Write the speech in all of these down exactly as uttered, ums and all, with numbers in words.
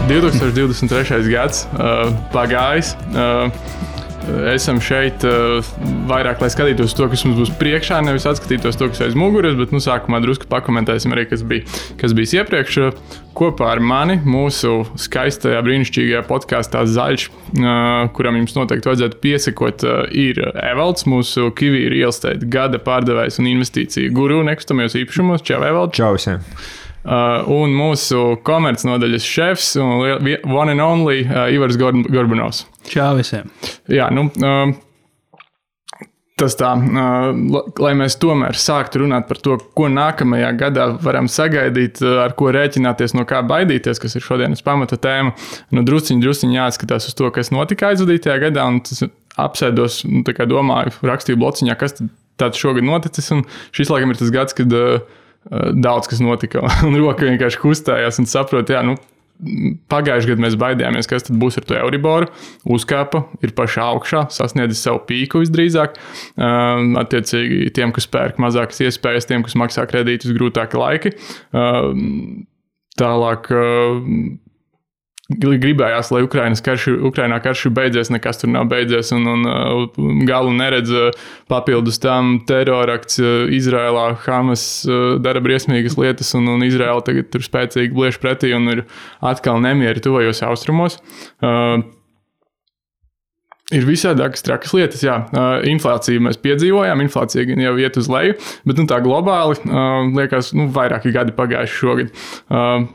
divtūkstoš divdesmit trešais gads uh, pagājis. Uh, esam šeit uh, vairāk, lai skatītos to, kas mums būs priekšā, nevis atskatītos to, kas aiz muguras, bet nu, sākumā drusku pakomentēsim arī, kas bija, kas bijis iepriekš. Kopā ar mani mūsu skaistajā, brīnišķīgajā podkāstā Zaļš, uh, kuram jums noteikti vajadzētu piesakot, uh, ir Evalds, mūsu Kiwi Real Estate gada pārdevējs un investīciju guru nekustamajos īpašumos. Čau, Evald! Čau visiem! Uh, un mūsu komercnodaļas šefs un one and only uh, Ivars Gorbanovs. Čau visiem! Jā, nu, uh, tas tā, uh, lai mēs tomēr sāktu runāt par to, ko nākamajā gadā varam sagaidīt, uh, ar ko rēķināties, no kā baidīties, kas ir šodienas pamata tēma. Nu, drusciņ, drusciņ jāskatās uz to, kas notika aizvadītajā gadā, un tas apsēdos, nu, tā kā domāju, rakstīju blociņā, kas tāds šogad noticis, un šis laikam ir tas gads, kad uh, daudz kas notika, un roka vienkārši kustējās un saprot, jā, nu, pagājuši gadu mēs baidījāmies, kas tad būs ar to Euriboru, uzkāpa, ir pašā augšā, sasniedzis savu pīku visdrīzāk, uh, attiecīgi tiem, kas pērk mazākas iespējas, tiem, kas maksā kredītus grūtāki laiki, uh, tālāk uh, gribējās, lai Ukrainas karš, Ukrainā karš beidzies, nekas tur nav beidzies, un, un uh, galu neredz papildus tam terorakts uh, Izrēlā, Hamas uh, dara briesmīgas lietas, un, un Izrēla tagad tur spēcīgi blieš pretī, un ir atkal nemieri tuvajos austrumos. Uh, Ir visādākas trakas lietas, jā. Uh, inflāciju mēs piedzīvojām, inflācija gan jau iet uz leju, bet nu, tā globāli uh, liekas, nu, vairāki gadi pagājuši šogad. Uh,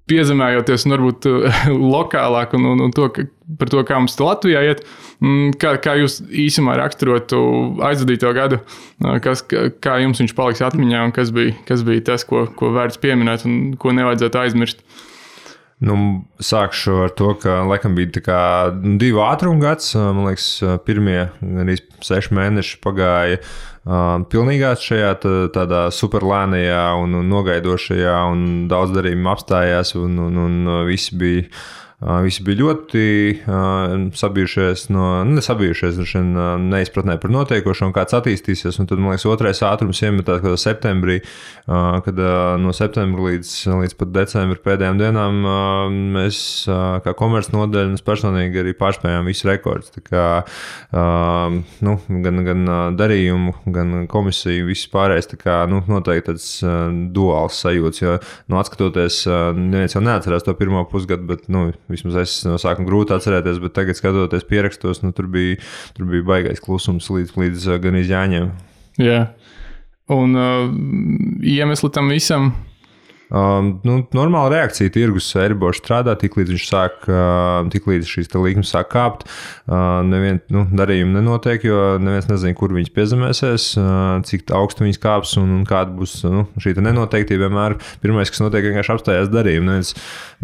Piezemējoties un varbūt lokālāk un, un, un to, ka, par to, kā mums Latvijā iet, kā, kā jūs īsumā raksturotu aizvadīto gadu, kas, kā jums viņš paliks atmiņā un kas bija, kas bija tas, ko, ko vērts pieminēt un ko nevajadzētu aizmirst? Nu, sākšu ar to, ka laikam bija tā kā divu ātrumu gads. Man liekas, pirmie arī seši mēneši pagāja uh, pilnīgā šajā tādā superlēnajā un, un nogaidošajā, un daudz darījumu apstājās, un, un, un visi bija Uh, visi bija ļoti uh, sabijušies, no, nu, nesabijušies, uh, neizpratnē par notiekošo un kāds attīstīsies. Un tad, man liekas, otrais ātrums iemetās kādā septembrī, uh, kad uh, no septembra līdz, līdz pat decembra pēdējām dienām uh, mēs uh, kā komercnodaļa un personīgi arī pārspējām visu rekordus. Tā kā uh, nu, gan, gan darījumu, gan komisiju, viss pārējais, tā kā nu, noteikti tāds uh, duāls sajūts, jo nu, atskatoties, uh, neviens jau neatcerās to pirmo pusgadu, bet nu, vismaz es no sākuma grūti atcerēties, bet tagad skatoties pierakstos, nu, tur bija, tur bija baigais klusums līdz, līdz gan izjāņiem. Jā. Un uh, iemesli tam visam? Um, nu, normāla reakcija tirgus Euriborš strādā, tik līdz viņš sāk, uh, tik līdz šīs līkmes sāk kāpt. Uh, nevien, nu, darījumi nenotiek, jo neviens nezina, kur viņas piezemēsies, uh, cik augstu viņas kāps un, un kāda būs nu, šī nenoteiktība. Vienmēr pirmais, kas notiek, vienkārši apstājās darījumi. Neviens,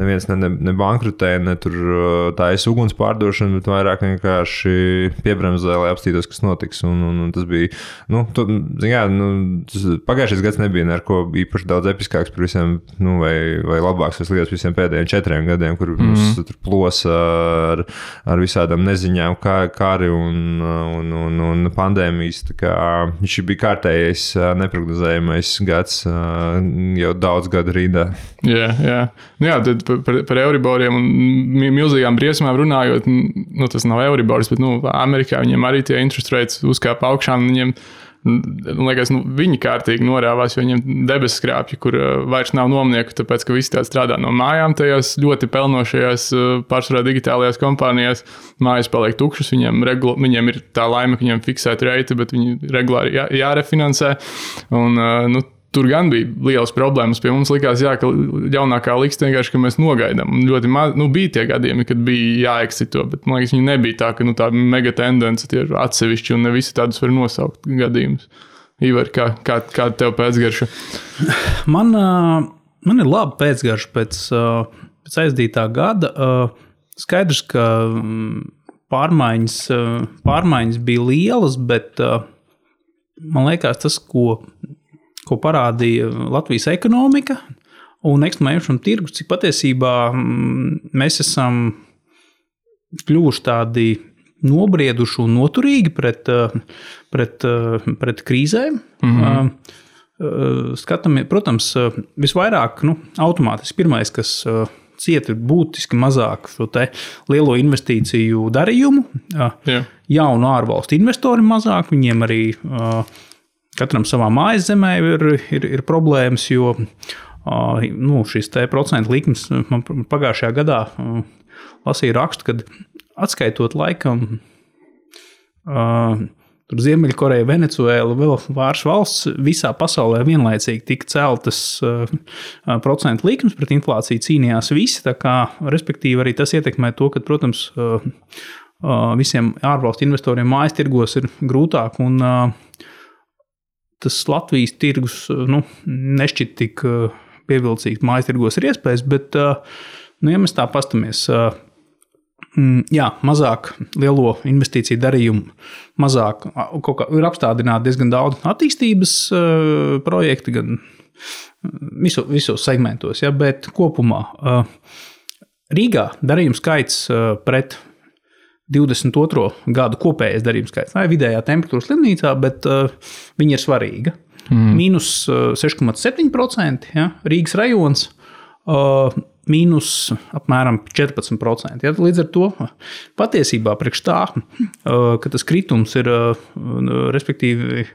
neviens ne, ne, ne bankrutē, ne tur taisa uguns pārdošana, bet vairāk vienkārši piebremzē, lai apstītos, kas notiks. Un, un, un tas bija, nu, to, jā, nu, tas pagājušais gads nebija neko īpaši daudz episkāks par visiem, nu, vai, vai labāks vai sliktāks visiem pēdējiem četriem gadiem, kur mm-hmm. mums tur plosa ar, ar visādām neziņām, kā, kāri un, un, un, un pandēmijas. Tā kā viņš bija kārtējais, neprognozējamais gads jau daudz gadu rīdā. Jā, jā. Nu jā, tad par, par Euriboriem un milzīgām briesmām runājot, nu, tas nav Euribors, bet, nu, Amerikā viņiem arī tie interest rates uzkāpa augšā, un viņiem Man liekas, nu, viņi kārtīgi norāvās, jo viņiem debesu skrāpji, kur uh, vairs nav nomnieku, tāpēc, ka visi tādi strādā no mājām tajās ļoti pelnošajās, uh, pārsvarā digitālajās kompānijās. Mājas paliek tukšas, viņiem, regula, viņiem ir tā laime, ka viņiem fiksēta reita, bet viņi regulāri jā, jārefinansē. Un, uh, nu, tur gan bija lielas problēmas. Pie mums likās, jā, ka jaunākā liksta vienkārši, ka mēs nogaidām. Un ļoti maz, nu, bija tie gadījumi, kad bija jāeksito, bet man liekas, viņi nebija tā, ka nu, tā mega tendence tie ir atsevišķi un ne visi tādus var nosaukt gadījumus. Ivar, kā, kā, kāda tev pēcgarša? Man, man ir laba pēcgarša pēc, pēc aizdītā gada. Skaidrs, ka pārmaiņas, pārmaiņas bija lielas, bet man liekas tas, ko ko parādīja Latvijas ekonomika un nekustamā tirgus, cik patiesībā mēs esam kļuvuši tādi nobrieduši un noturīgi pret, pret, pret krīzēm. Mm-hmm. Skatāmies, protams, visvairāk nu, automātiski pirmais, kas cieta būtiski mazāk šo te lielo investīciju darījumu. Jā. Jaunu ārvalstu investori mazāk, viņiem arī katram savā mājas zemē ir, ir, ir problēmas, jo nu, šis te procentu likmes man pagājušajā gadā lasīja rakstu, kad atskaitot laikam tur Ziemeļkoreja, Venecuēla, vēl pāris valsts visā pasaulē vienlaicīgi tika celtas uh, procentu likmes pret inflāciju cīnījās visi, tā kā, respektīvi arī tas ietekmē to, ka, protams, uh, uh, visiem ārvalstu investoriem mājas tirgos ir grūtāk un uh, tas Latvijas tirgus uh, nu, nešķiet tik uh, pievilcīgs mājas tirgos ir iespējas, bet, uh, nu, ja mēs tā pastamies, uh, jā, mazāk lielo investīciju darījumu, mazāk kaut kā ir apstādināti diezgan daudz attīstības uh, projekti, gan visu, visos segmentos, ja, bet kopumā uh, Rīgā darījuma skaits uh, pret divdesmit otro gadu kopējais darījuma skaits. Tā ir vidējā temperatūra slimnīcā, bet uh, viņa ir svarīga. Mm. Mīnus uh, seši komats septiņi procenti, ja, Rīgas rajons, uh, mīnus apmēram četrpadsmit procenti. Ja, līdz ar to patiesībā priekš tā, ka tas kritums ir respektīvi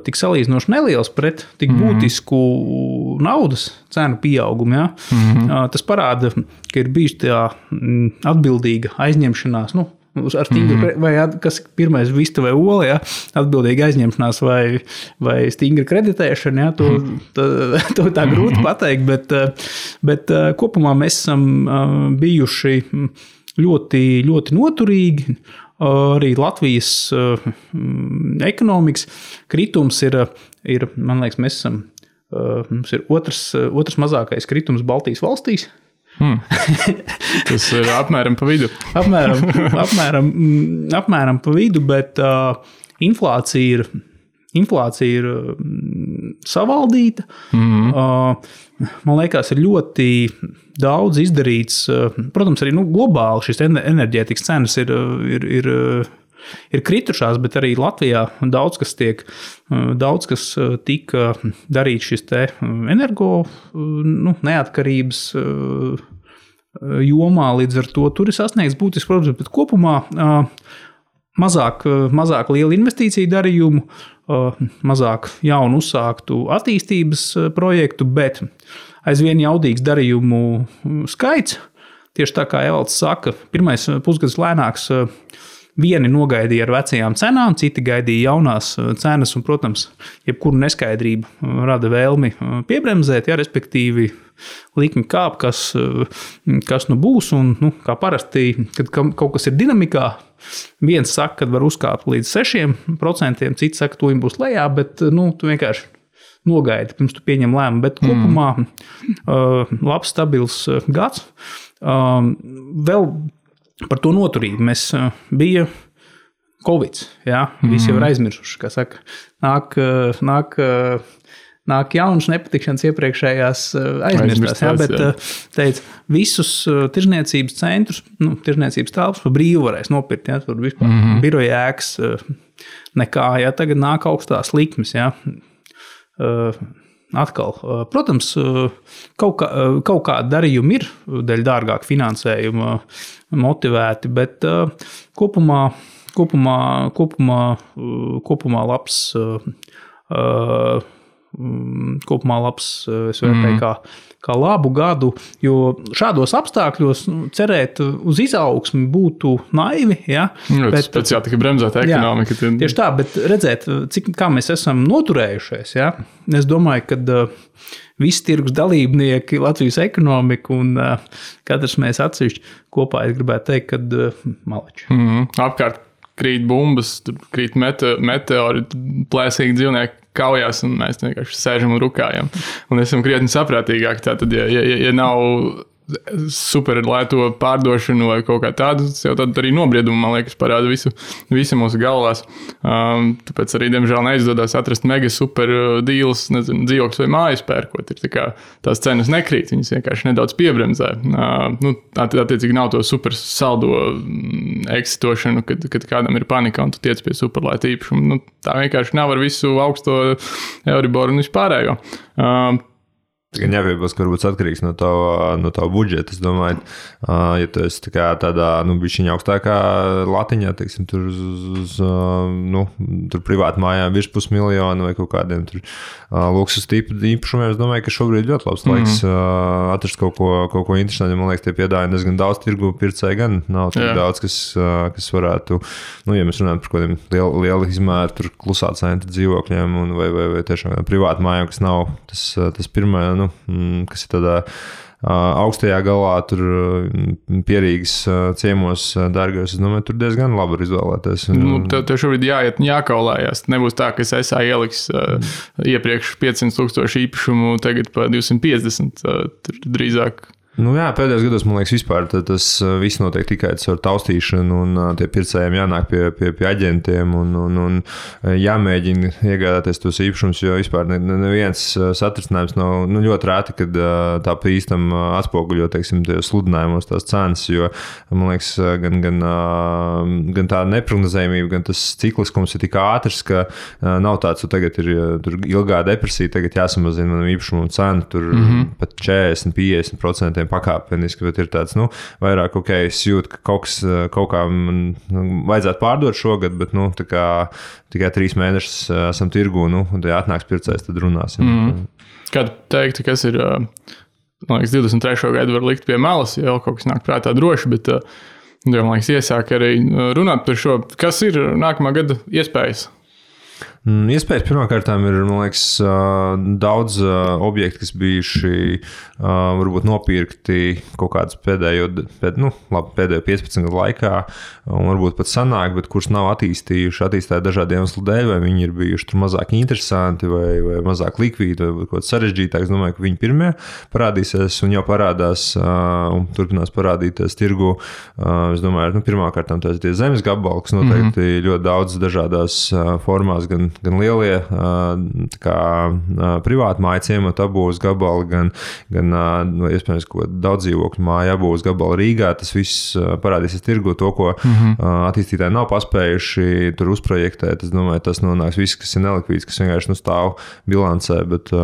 tik salīdzinoši neliels pret tik būtisku naudas cenu pieaugumu. Ja, mm-hmm. Tas parāda, ka ir bijusi tā atbildīga aizņemšanās, nu, ar stingru, mm-hmm. vai kas pirmais vista vai ola, ja, atbildīga aizņemšanās vai, vai stingra kreditēšana, ja, to, tā, to tā grūti pateikt, bet, bet kopumā mēs esam bijuši ļoti, ļoti noturīgi. Arī Latvijas ekonomikas kritums ir, ir, man liekas, mēs esam, mums ir otrs, otrs mazākais kritums Baltijas valstīs. Hmm. Tas ir apmēram pa vidu. apmēram, apmēram, apmēram pa vidu, bet uh, inflācija ir, inflācija ir uh, savaldīta. Mm-hmm. Uh, man liekas, ir ļoti daudz izdarīts. Uh, protams, arī nu, globāli šis enerģētikas cenas ir, ir, ir, ir kritušās, bet arī Latvijā daudz kas tiek, daudz kas tika darīts šis te energo nu, neatkarības jomā, līdz ar to tur ir sasniegts būtisks problēmas, bet kopumā mazāk, mazāk liela investīcija darījumu, mazāk jaunu uzsāktu attīstības projektu, bet aizvien jaudīgs darījumu skaits. Tieši tā kā Evalds saka, pirmais pusgads lēnāks. Vieni nogaidīja ar vecajām cenām, citi gaidīja jaunās cenas, un, protams, jebkuru neskaidrību rada vēlmi piebremzēt, ja, respektīvi likmi kāp, kas, kas nu būs, un, nu, kā parasti, kad kaut kas ir dinamikā, viens saka, ka var uzkāpt līdz sešiem procentiem, cits saka, to viņam būs lejā, bet, nu, tu vienkārši nogaidi, pirms tu pieņem lēmumu, bet kopumā mm. labs, stabils gads. Vēl par to noturību mēs bija Covid, jā, visi jau ir aizmirsuši, kā saka, nāk, nāk, nāk jaunas nepatikšanas iepriekšējās aizmirstās, jā, bet jā. Teica, visus tirzniecības centrus, nu, tirzniecības telpas pa brīvu varēs nopirkt, jā, tur vispār mm-hmm. biroja ēkas nekā, jā, tagad nāk augstās likmes, jā. Atkal, protams, kaut, kā, kaut kādi darījumi ir dēļ dārgāk finansējuma motivēti, bet kopumā, kopumā, kopumā, kopumā labs, kopumā labs, es vērtēju kā, kā labu gadu, jo šādos apstākļos nu, cerēt uz izaugsmi būtu naivi. Ja? Nu, bet, pēc jā, tikai bremzēt ekonomika. Jā, tieši tā, bet redzēt, cik, kā mēs esam noturējušies. Ja? Es domāju, ka uh, visi tirgus dalībnieki, Latvijas ekonomika un uh, katrs mēs atsevišķi kopā, es gribētu teikt, kad uh, maleči. Mm-hmm. Apkārt krīt bumbas, krīt mete, meteori, plēsīgi dzīvnieki kaujās, un mēs vienkārši sēžam un rukājam. Un esam krietni saprātīgāki. Tātad, ja, ja, ja nav super lēto pārdošanu vai kaut kā tādu, tas jau tad arī nobriedumu, man liekas, parāda visu, visu mūsu galvās. Um, tāpēc arī, diemžēl, neizdodas atrast mega super deals, nezinu, dzīvokļus vai mājas pērkot. Ir tā kā tās cenas nekrīt, viņas vienkārši nedaudz piebremzē. Uh, nu, attiecīgi nav to super saldo eksitošanu, kad, kad kādam ir panika un tu tiec pie superlēta īpašuma. Nu, tā vienkārši nav ar visu augsto Euriboru un vispārējo. Uh, Gan jāpiebilst, ka varbūt atkarīgs no tava, no tava budžeta. Es domāju, ja tu esi tā kā tādā, nu, bišķiņa augstākā latiņā, teiksim, tur uz, uz nu, tur privāti mājām virs pusmiljonu vai kaut kādiem tur luksus tipu īpašumiem, es domāju, ka šobrīd ļoti labs laiks mm. atrast kaut ko, kaut ko interesantu. Man liekas, tie piedāvājumi diezgan daudz tirgu pircēji, gan nav tik Jā. daudz, kas, kas varētu, nu, ja mēs runājam par kaut kādiem lielu, lielu izmēru, tur klusā centra dzīvokļiem un vai, vai, vai tiešām privāti mājām, kas nav tas, tas pirmā, nu, kas ir tādā augstajā galā, tur pierīgas ciemos dārgos, es domāju, tur diezgan labi var izvēlēties. Nu, tev, tev šobrīd jāiet jākaulājās. Nebūs tā, ka es esā ieliks uh, iepriekš piecsimt tūkstoši īpašumu, tagad pa divsimt piecdesmit, uh, tur drīzāk. Nu jā, pēdējos gados, man liekas, vispār tas viss notiek tikai ar taustīšanu, un tie pircējiem jānāk pie, pie, pie aģentiem un, un, un jāmēģina iegādāties tos īpašumus, jo vispār neviens satricinājums nav, nu, ļoti rēti, kad tā pa īstam atspoguļo, teiksim, sludinājumos tās cenas, jo, man liekas, gan, gan, gan tā neprognozējumība, gan tas cikliskums ir tik ātrs, ka nav tāds, ka tagad ir tur ilgā depresija, tagad jāsamazina manam īpašumam cenu, tur mm-hmm. pat četrdesmit līdz piecdesmit procenti pakāpeniski, bet ir tāds, nu, vairāk, ok, es jūtu, ka kaut, kas, kaut kā man nu, vajadzētu pārdot šogad, bet, nu, tā kā tikai trīs mēnešus esam tirgū, nu, un ja atnāks pircējs, tad runāsim. Mm. Kā tu teiktu, kas ir, man liekas, divdesmit trešo gadu var likt pie malas, ja jau kaut kas nāk prātā droši, bet, man liekas, iesāk arī runāt par šo, kas ir nākamā gada iespējas? Iespējas pirmkārtām ir, man liekas, daudz objektu, kas bijuši varbūt nopirkti kaut kādas pēdējo, pēd, nu, labi, pēdējo piecpadsmit gadu laikā, un varbūt pat sanāk, bet kurus nav attīstījuši, attīstītāji dažādi iemeslu dēļ, vai viņi ir bijuši tur mazāk interesanti, vai, vai mazāk likvīdi, vai kaut kāds sarežģītāk. Es domāju, ka viņi pirmie parādīsies un jau parādās un turpinās parādīties tirgu. Es domāju, nu, pirmkārtām tās tie zemes gabali, kas noteikti mm-hmm. ļoti daudz dažādās formās, gan gan lielie kā, privāti māju ciematu apbūves gabali, gan, gan iespējams, ko daudz dzīvokļu māju apbūves gabali Rīgā. Tas viss parādīsies tirgu to, ko mm-hmm. attīstītāji nav paspējuši tur uzprojektēt. Es domāju, tas nonāks viss, kas ir nelikvīds, kas vienkārši nu stāv bilancē, bet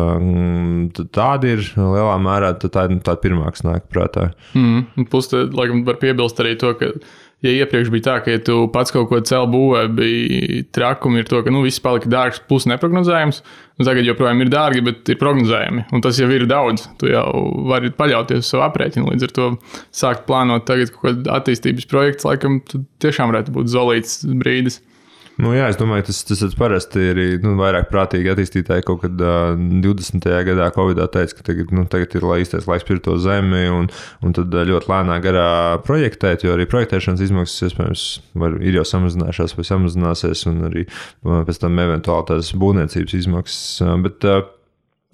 tāda ir lielā mērā, tā ir tāda pirmā, kas nāk prātā. Mm. Plus, te, laikam, var piebilst arī to, ka ja iepriekš bija tā, ka ja tu pats kaut ko cel būvē, bija trakumi ir to, ka nu, viss palika dārgs plus neprognozējams, un tagad joprojām ir dārgi, bet ir prognozējami, un tas jau ir daudz. Tu jau vari paļauties uz savu aprēķinu, līdz ar to sākt plānot tagad kaut kādu attīstības projektu, laikam tu tiešām varētu būt zolīts brīdis. Nu, jā, es domāju, tas, tas parasti ir nu, vairāk prātīgi attīstītāji kaut kad uh, divdesmitajā gadā Covidā teica, ka tagad, nu, tagad ir īstais laiks pirkt to zemi un, un tad ļoti lēnā garā projektēt, jo arī projektēšanas izmaksas, iespējams, var, ir jau samazinājušās vai samazināsies un arī pēc tam eventuāli tās būvniecības izmaksas, bet uh,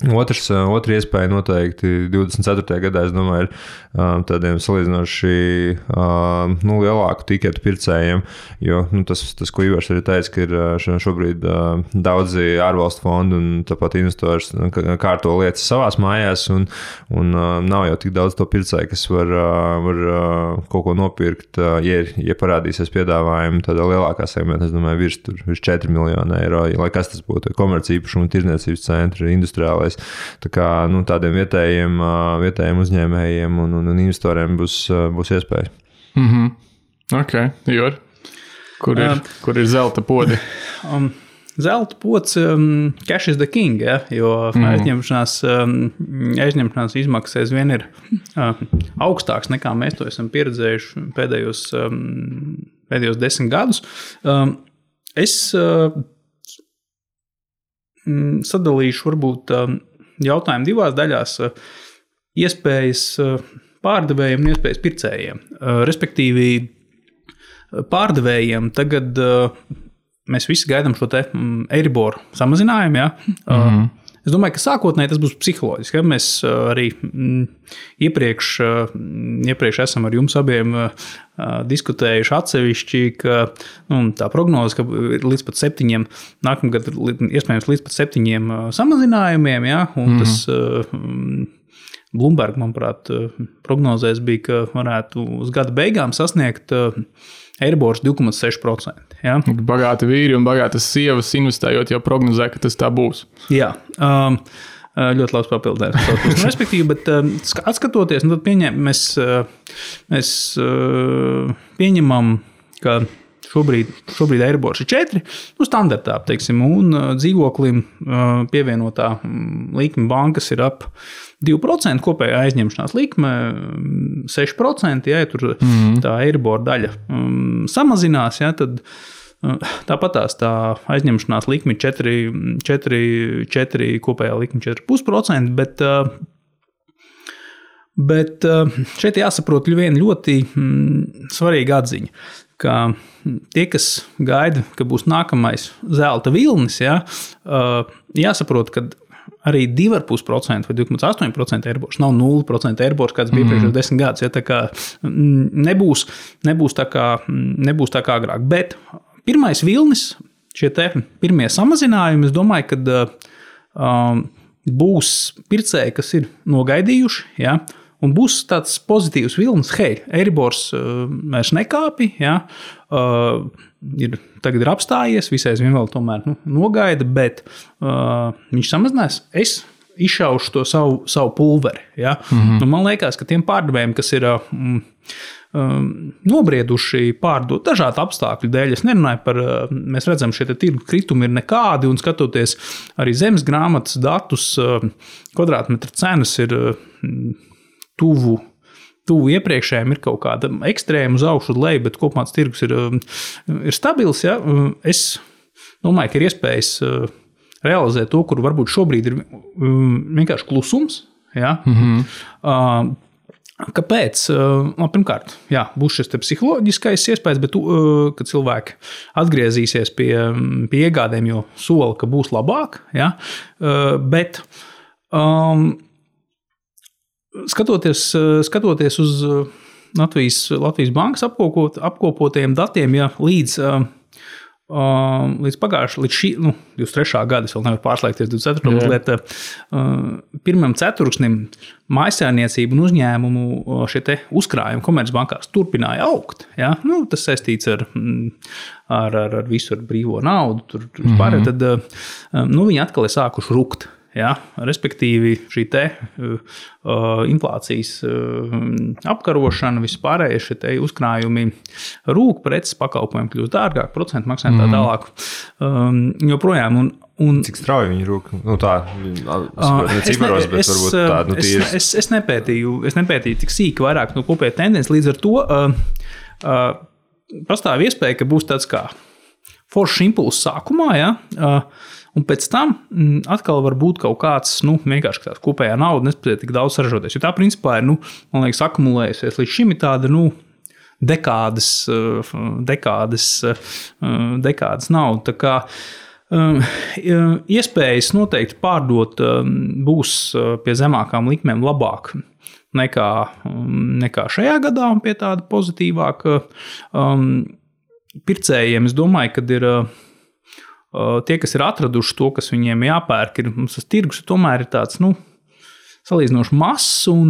Otrs, otra iespēja noteikti divdesmit ceturtajā gadā, es domāju, ir tādiem salīdzinoši nu, lielāku tiketu pircējiem, jo nu, tas, tas, ko Ivars arī teica, ka ir šobrīd daudzi ārvalstu fondi un tāpat investori kārto lietas savās mājās, un, un nav jau tik daudz to pircēju, kas var, var kaut ko nopirkt, ja, ja parādīsies piedāvājumi tādā lielākā segmentā, es domāju, virs, tur, virs četri miljoni eiro, lai kas tas būtu, komerci īpašumu, tirdzniecības centri, industriālais. Tā kā nu, tādiem vietējiem, vietējiem uzņēmējiem un, un, un investoriem būs, būs iespēja. Mm-hmm. Ok, Jor, kur ir, uh, kur ir zelta podi? Um, zelta pods, um, cash is the king, ja? Jo mm. aizņemšanās, um, aizņemšanās izmaksas aizvien ir uh, augstāks nekā mēs to esam pieredzējuši pēdējos, um, pēdējos desmit gadus. Um, es uh, sadalīšu varbūt jautājumu divās daļās - iespējas pārdevējiem un iespējas pircējiem. Respektīvi, pārdevējiem tagad mēs visi gaidām šo te Eiriboru samazinājumu, ja? Mm-hmm. Es domāju, ka sākotnēji tas būs psiholoģiski. Ja? Mēs arī iepriekš, iepriekš esam ar jums abiem diskutējuši atsevišķi, ka nu, tā prognoze, ka līdz pat septiņiem, nākamgad iespējams līdz pat septiņiem samazinājumiem, ja? Un mm-hmm. tas Bloomberg, manuprāt, prognozēs bija, ka varētu uz gada beigām sasniegt Eiribors divi komats seši procenti. Ja? Bagāti vīri un bagātas sievas investējot jau prognozē, ka tas tā būs. Jā. Um, ļoti labs papildinājums. Respektīvi, bet atskatoties, nu, tad pieņem, mēs, mēs pieņemam, ka šobrīd, šobrīd Eiribors ir četri, nu, standartā, teiksim, un dzīvoklim pievienotā likme bankas ir ap divi procenti, kopējā aizņemšanās likme seši procenti, ja tur mm. tā Eiribor daļa um, samazinās, ja, tad tāpat tās tā aizņemšanās likme četri, četri, četri kopējā likme četri komats pieci procenti, bet, bet šeit jāsaprot viena ļoti svarīga atziņa, ka tie, kas gaida, ka būs nākamais zelta vilnis, ja, jāsaprot, ka arī divi komats pieci procenti vai divi komats astoņi procenti Eiribors nav nulle procenti Eiribors, kāds bija mm. priekšējos desmit gadus, ja, tā kā nebūs, nebūs, tā kā, nebūs tā kā agrāk, bet pirmais vilnis, šie te pirmie samazinājumi, es domāju, ka um, būs pircēji, kas ir nogaidījuši, ja, un būs tāds pozitīvs vilnis, hei, Eiribors uh, vairs nekāpi, ja, uh, ir, tagad ir apstājies, visais vien vēl tomēr nu, nogaida, bet uh, viņš samazinās, es izšaušu to savu, savu pulveri. Ja. Mm-hmm. Nu, man liekas, ka tiem pārdevējiem, kas ir um, um, nobrieduši pārdot dažādu apstākļu dēļ, es nerunāju par, uh, mēs redzam, šie tirgu kritumi ir nekādi, un skatoties arī zemes grāmatas datus, uh, kvadrātmetra cenas ir uh, tuvu, tuvu iepriekšējiem, ir kaut kāda ekstrēma uz augšu uz leju, bet kopumā tas tirgus ir, uh, ir stabils. Ja. Uh, es domāju, ka ir iespējas uh, realizēt to, kur varbūt šobrīd ir um, vienkārši klusums. Ja? Mm-hmm. Uh, kāpēc? Uh, pirmkārt, jā, būs šis psiholoģiskais iespējas, bet uh, kad cilvēki atgriezīsies pie, pie iegādēm, jo sola, ka būs labāk. Ja? Uh, bet um, skatoties, skatoties uz Latvijas, Latvijas bankas apkopot, apkopotajiem datiem, ja līdz uh, līdz pagājušā, līdz šī, nu, divdesmit trešā gada, es vēl nevaru pārslēgties divdesmit ceturtā mazliet, pirmam ceturksnim mājsaimniecību un uzņēmumu šie te uzkrājumi komercbankās turpināja augt. Ja? Nu, tas saistīts ar, ar, ar, ar visu ar brīvo naudu, tur, tur mm-hmm. tad nu, viņi atkal ir sākuši rukt. Ja, respektīvi, šī te, uh, inflācijas uh, apkarošana, vispārējie šie te uzkrājumi rūk, preces pakalpojumi kļūst dārgāk, procentu maksājumi tā tālāk. Um, joprojām. Un, un, Cik strauji viņi rūk? Nu tā, ne ciparos, bet es, varbūt tā, nu tīri. Es, es, es, nepētīju, es nepētīju tik sīki vairāk no kopēja tendences, līdz ar to uh, uh, pastāv iespēja, ka būs tāds kā foršs impulss sākumā, ja, uh, un pēc tam atkal var būt kaut kāds, nu, vienkārši tāds kopējā nauda nespēja tik daudz saražoties. Jo tā principā ir, nu, man liekas, akumulējusies līdz šim ir tāda, nu, dekādes, dekādes, dekādes nauda. Tā kā um, iespējas noteikti pārdot um, būs pie zemākām likmēm labāk nekā, um, nekā šajā gadā un pie tāda pozitīvāka um, pircējiem. Es domāju, kad ir tie, kas ir atraduši to, kas viņiem jāpērk, ir, mums tas tirgus tomēr ir tāds, nu, salīdzinoši mazs, un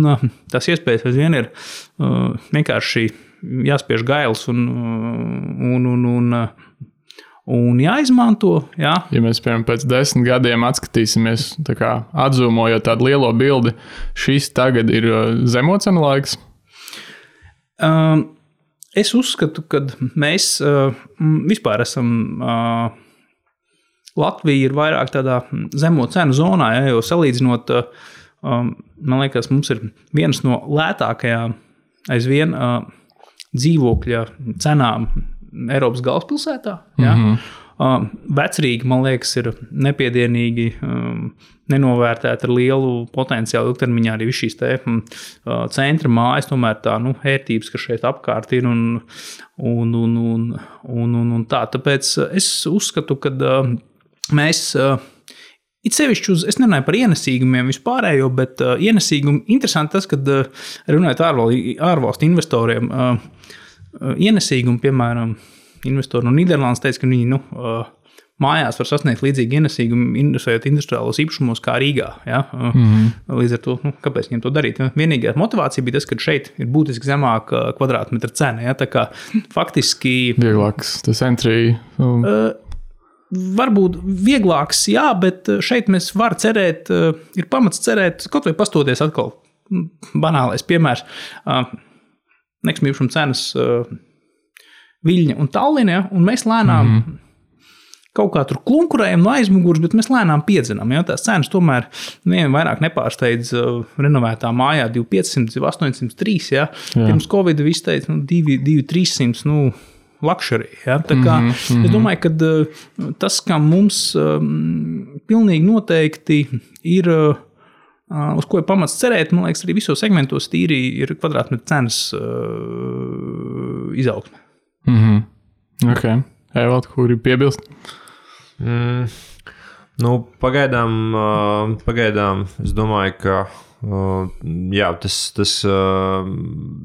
tās iespējas aizvien ir uh, vienkārši jāspiež gails un, un, un, un, un jāizmanto. Jā. Ja mēs, piemēram, pēc desmit gadiem atskatīsimies, tā kā atzūmojot tādu lielo bildi, šis tagad ir zemo cenu laiks? Um, es uzskatu, ka mēs uh, vispār esam... Uh, Latvija ir vairāk tādā zemo cenu zonā, ja, jo salīdzinot, um, man liekas, mums ir viens no lētākajām aizvien uh, dzīvokļa cenām Eiropas galvaspilsētā. Ja. Mm-hmm. Uh, Vecrīga, man liekas, ir nepiedienīgi um, nenovērtēta ar lielu potenciālu ilgtermiņā arī viss šīs te uh, centra mājas, tomēr tā, nu, ērtības, kas šeit apkārt ir un, un, un, un, un, un, un tā. Tāpēc es uzskatu, ka uh, mēs, uh, it sevišķi uz, es nerunāju par ienesīgumiem vispārējo, bet uh, ienesīgumi, interesanti tas, kad uh, runājot ārval, ārvalstu investoriem, uh, uh, ienesīgumi, piemēram, investori no Nīderlandes teica, ka viņi, nu, uh, mājās var sasniegt līdzīgi ienesīgumu, investējot industriālos īpašumos kā Rīgā. Ja? Uh, mm-hmm. Līdz ar to, nu, kāpēc viņiem to darīt? Vienīgā motivācija bija tas, ka šeit ir būtiski zemāka kvadrātmetra cena. Ja? Tā kā faktiski... Vieglāks, tas entry... Um. Uh, varbūt vieglāks, jā, bet šeit mēs varam cerēt, ir pamats cerēt, kaut vai pastoties atkal banālais piemērs. Nekustamā īpašuma cenas Viļņa un Tallinā, ja, un mēs lēnām mm-hmm. kaut kā tur klunkurējam no aizmugurs, bet mēs lēnām piedzinām. Ja, tās cenas tomēr nevienam vairāk nepārsteidz renovētā mājā divi piecsimt, astoņsimt trīs, ja. Pirms Covid viss teica, nu, divi trīssimt, nu, luxury. Ja? Tā kā, mm -hmm. Es domāju, ka tas, kā mums um, pilnīgi noteikti ir, uh, uz ko ir pamats cerēt, man liekas, arī visos segmentos tīri ir kvadrātmetru cenas uh, izaugsme. Mm -hmm. Ok. Evald, kur ir piebilst? Mm, nu, pagaidām, uh, pagaidām, es domāju, ka Uh, jā, tas, tas, uh,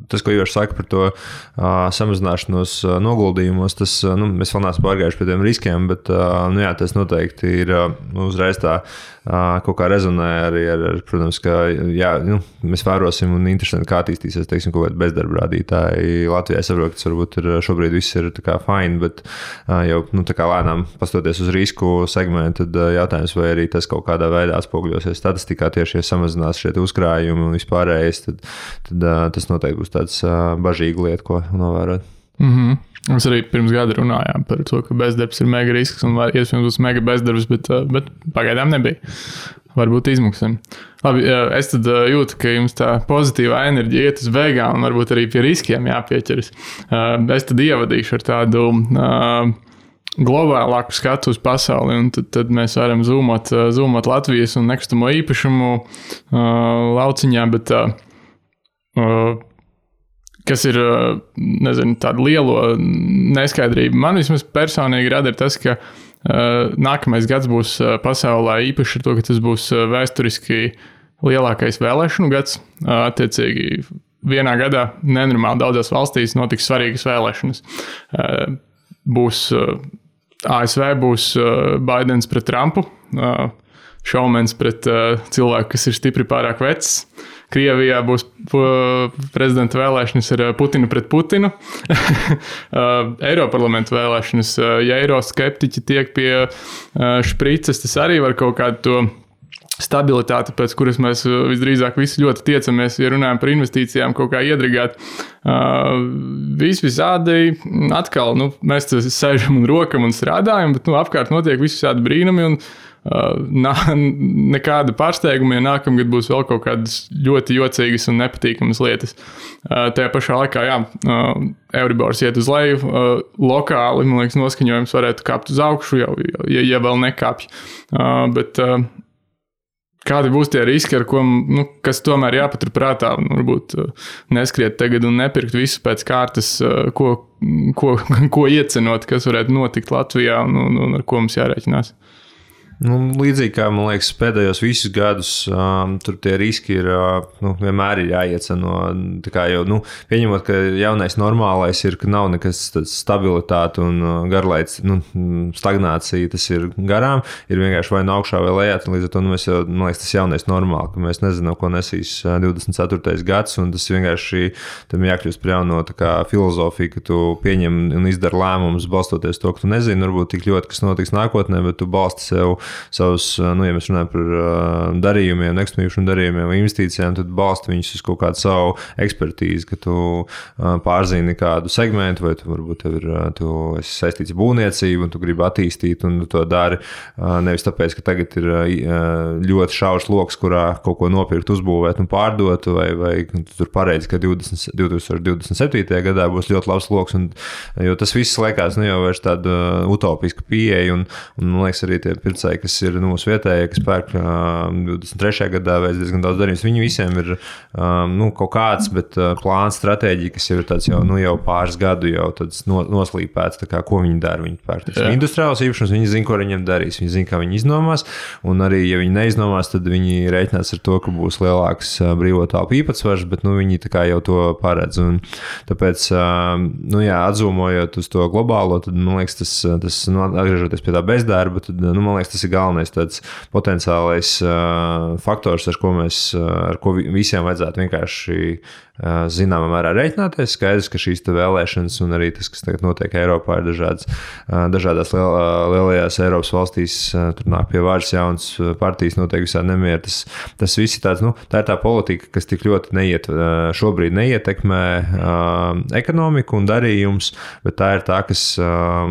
tas, ko Ivars saka par to uh, samazināšanos uh, noguldījumos, tas, uh, nu, mēs vēl neesam pārgājuši pie tiem riskiem, bet uh, nu, jā, tas noteikti ir uh, uzreiz tā uh, kaut kā rezonē arī ar, ar protams, ka jā, nu, mēs vērosim un interesanti, kā attīstīsies, teiksim, kaut kādi bezdarba rādītāji Latvijā. Es saprotu, ka tas varbūt ir šobrīd viss ir tā kā fine, bet uh, jau, nu, tā kā lēnām pastoties uz risku segmentu, tad uh, jautājums, vai arī tas kaut kādā veidā atspoguļosies statistikā tieši, ja samazinās šie uzkrājumi un vispārējais, tad, tad uh, tas noteikti būs tāds uh, bažīga lieta, ko novērot. Mm-hmm. Mēs arī pirms gada runājām par to, ka bezdarbs ir mega risks un iespējams būs mega bezdarbs, bet, uh, bet pagaidām nebija. Varbūt izmuksim. Labi, es tad jūtu, ka jums tā pozitīvā enerģija iet uz beigām un varbūt arī pie riskiem jāpieķeras. Uh, es tad ievadīšu ar tādu uh, globālāku skatu uz pasauli, un tad, tad mēs varam zoomot, zoomot Latvijas un nekustamo īpašumu uh, lauciņā, bet uh, uh, kas ir, uh, nezinu, tāda lielo neskaidrība. Man vismaz personīgi rada ir tas, ka uh, nākamais gads būs uh, pasaulē īpaši ar to, ka tas būs uh, vēsturiski lielākais vēlēšanu gads. Uh, attiecīgi, vienā gadā nenormāli daudzās valstīs notiks svarīgas vēlēšanas. Uh, būs uh, A S V būs uh, Baidens pret Trumpu, uh, šaumens pret uh, cilvēku, kas ir stipri pārāk vecs. Krievijā būs uh, prezidenta vēlēšanas ar Putinu pret Putinu. uh, Eiroparlamenta vēlēšanas, uh, ja eiroskeptiķi tiek pie uh, šprices, tas arī var kaut kādu to stabilitāti, pēc kuras mēs visdrīzāk visi ļoti tiecamies, ja runājam par investīcijām, kaut kā iedragāt. Uh, vis visādi atkal, nu, mēs sēžam un rokam un strādājam, bet, nu, apkārt notiek visādi brīnumi un uh, nā, nekāda pārsteiguma, ja nākamgad būs vēl kaut kādas ļoti jocīgas un nepatīkamas lietas. Uh, tajā pašā laikā, jā, uh, Euribors iet uz leju, uh, lokāli, man liekas, noskaņojums varētu kāpt uz augšu, jau, ja, ja vēl nekāpj. Uh, bet, uh, Kādi būs tie riski, ar ko, nu, kas tomēr jāpatur prātā, un varbūt neskriet tagad un nepirkt visu pēc kārtas, ko, ko, ko iecenot, kas varētu notikt Latvijā un, un, un ar ko mums jārēķinās? Nu, līdzīgi kā, man liekas, pēdējos visus gadus um, tur tie riski ir, uh, nu, vienmēr ir jāieceno. Tā kā jau, nu, pieņemot, ka jaunais normālais ir, ka nav nekas tāds stabilitāte un uh, garlaids, nu, stagnācija, tas ir garām, ir vienkārši vai no augšā vai lejā, līdz ar to, nu, mēs jau, man liekas, tas jaunais normāli, ka mēs nezinām, ko nesīs divdesmit ceturtais gads, un tas vienkārši tam jākļūst par jauno tā kā filozofiju, ka tu pieņem un izdari lēmumus balstoties to, ka tu nezini, varbūt tik ļoti, kas notiks nākotnē, bet tu balsti sev savus, nu, ja mēs runājam par uh, darījumiem, nekustamību darījumiem vai investīcijām, tad balsti viņus uz kaut kādu savu ekspertīzi, ka tu uh, pārzini kādu segmentu, vai tu varbūt tev ir, uh, tu esi saistīts ar būvniecību un tu gribi attīstīt un tu to dari uh, nevis tāpēc, ka tagad ir uh, ļoti šaurs loks, kurā kaut ko nopirkt, uzbūvēt un pārdot, vai, vai tu tur pareizi, ka divdesmit, divdesmit divdesmit septītajā gadā būs ļoti labs loks, un, jo tas viss liekas, nu, jau vairs tāda uh, utopiska pieeja, un, un man liekas arī tie pircēji, kas ir nu, mūsu vietējie, kas pērk um, divdesmit trešajā gadā veids diezgan daudz darījums. Viņi visiem ir um, nu, kaut kāds, bet uh, plāns, stratēģija, kas jau ir tāds jau, nu, jau pāris gadu jau tāds no, noslīpēts, tā kā, ko viņi dara. Viņi pērk industriāls īpašums, viņi zina, ko viņiem darīs, viņi zina, kā viņi iznomās, un arī, ja viņi neiznomās, tad viņi reiķinās ar to, ka būs lielāks uh, brīvo telpu īpatsvars, bet, nu, viņi tā kā jau to paredz. Un tāpēc, uh, nu, jā, atzūmojot uz to globālo, tad, man liekas, tas, tas nu, atgriežoties pie tā bezdarba, tad, nu, man liekas, tas ir galvenais tāds potenciālais uh, faktors, ar ko mēs, uh, ar ko visiem vajadzētu vienkārši zināmā mērā reiķināties. Skaidrs, ka šīs vēlēšanas un arī tas, kas tagad notiek Eiropā, ir dažādas, dažādās liel, lielajās Eiropas valstīs, tur nāk pie vārds jaunas partijas, notiek visādi nemieri. Tas, tas viss ir tāds, nu, tā ir tā politika, kas tik ļoti neiet, šobrīd neietekmē ekonomiku un darījums, bet tā ir tā, kas,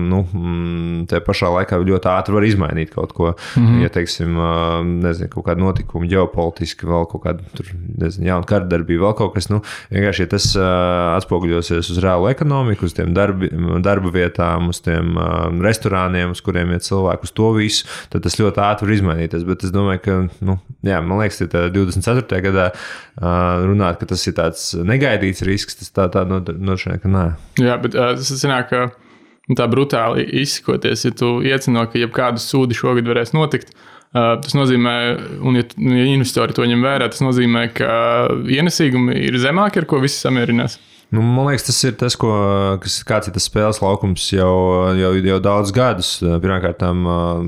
nu, te pašā laikā ļoti ātri var izmainīt kaut ko. Mm-hmm. Ja, teiksim, nezinu, kaut kāda notikuma ģeopolitiski, vēl kaut kāda, tur, nezinu, jauna kardarbība, vēl kaut kas, nu, vienkārši, ja tas uh, atspoguļosies uz reālu ekonomiku, uz tiem darbi, darba vietām, uz tiem uh, restorāniem, uz kuriem iet cilvēku, uz to visu, tad tas ļoti ātri var izmainīties. Bet es domāju, ka, nu, jā, man liekas, ka divdesmit ceturtajā gadā uh, runāt, ka tas ir tāds negaidīts risks, tas tā, tā nošķiet, ka nē. Jā, bet uh, tas sanāk, ka tā brutāli izsakoties, ja tu iecino, ka jebkādu sūdi šogad varēs notikt, Uh, tas nozīmē, un ja, ja investori to ņem vērā, tas nozīmē, ka ienesīgumi ir zemāki, ar ko visi samierinās. Nu, man liekas, tas ir tas, ko, kas, kāds ir tas spēles laukums jau, jau, jau daudz gadus. Pirmkārt,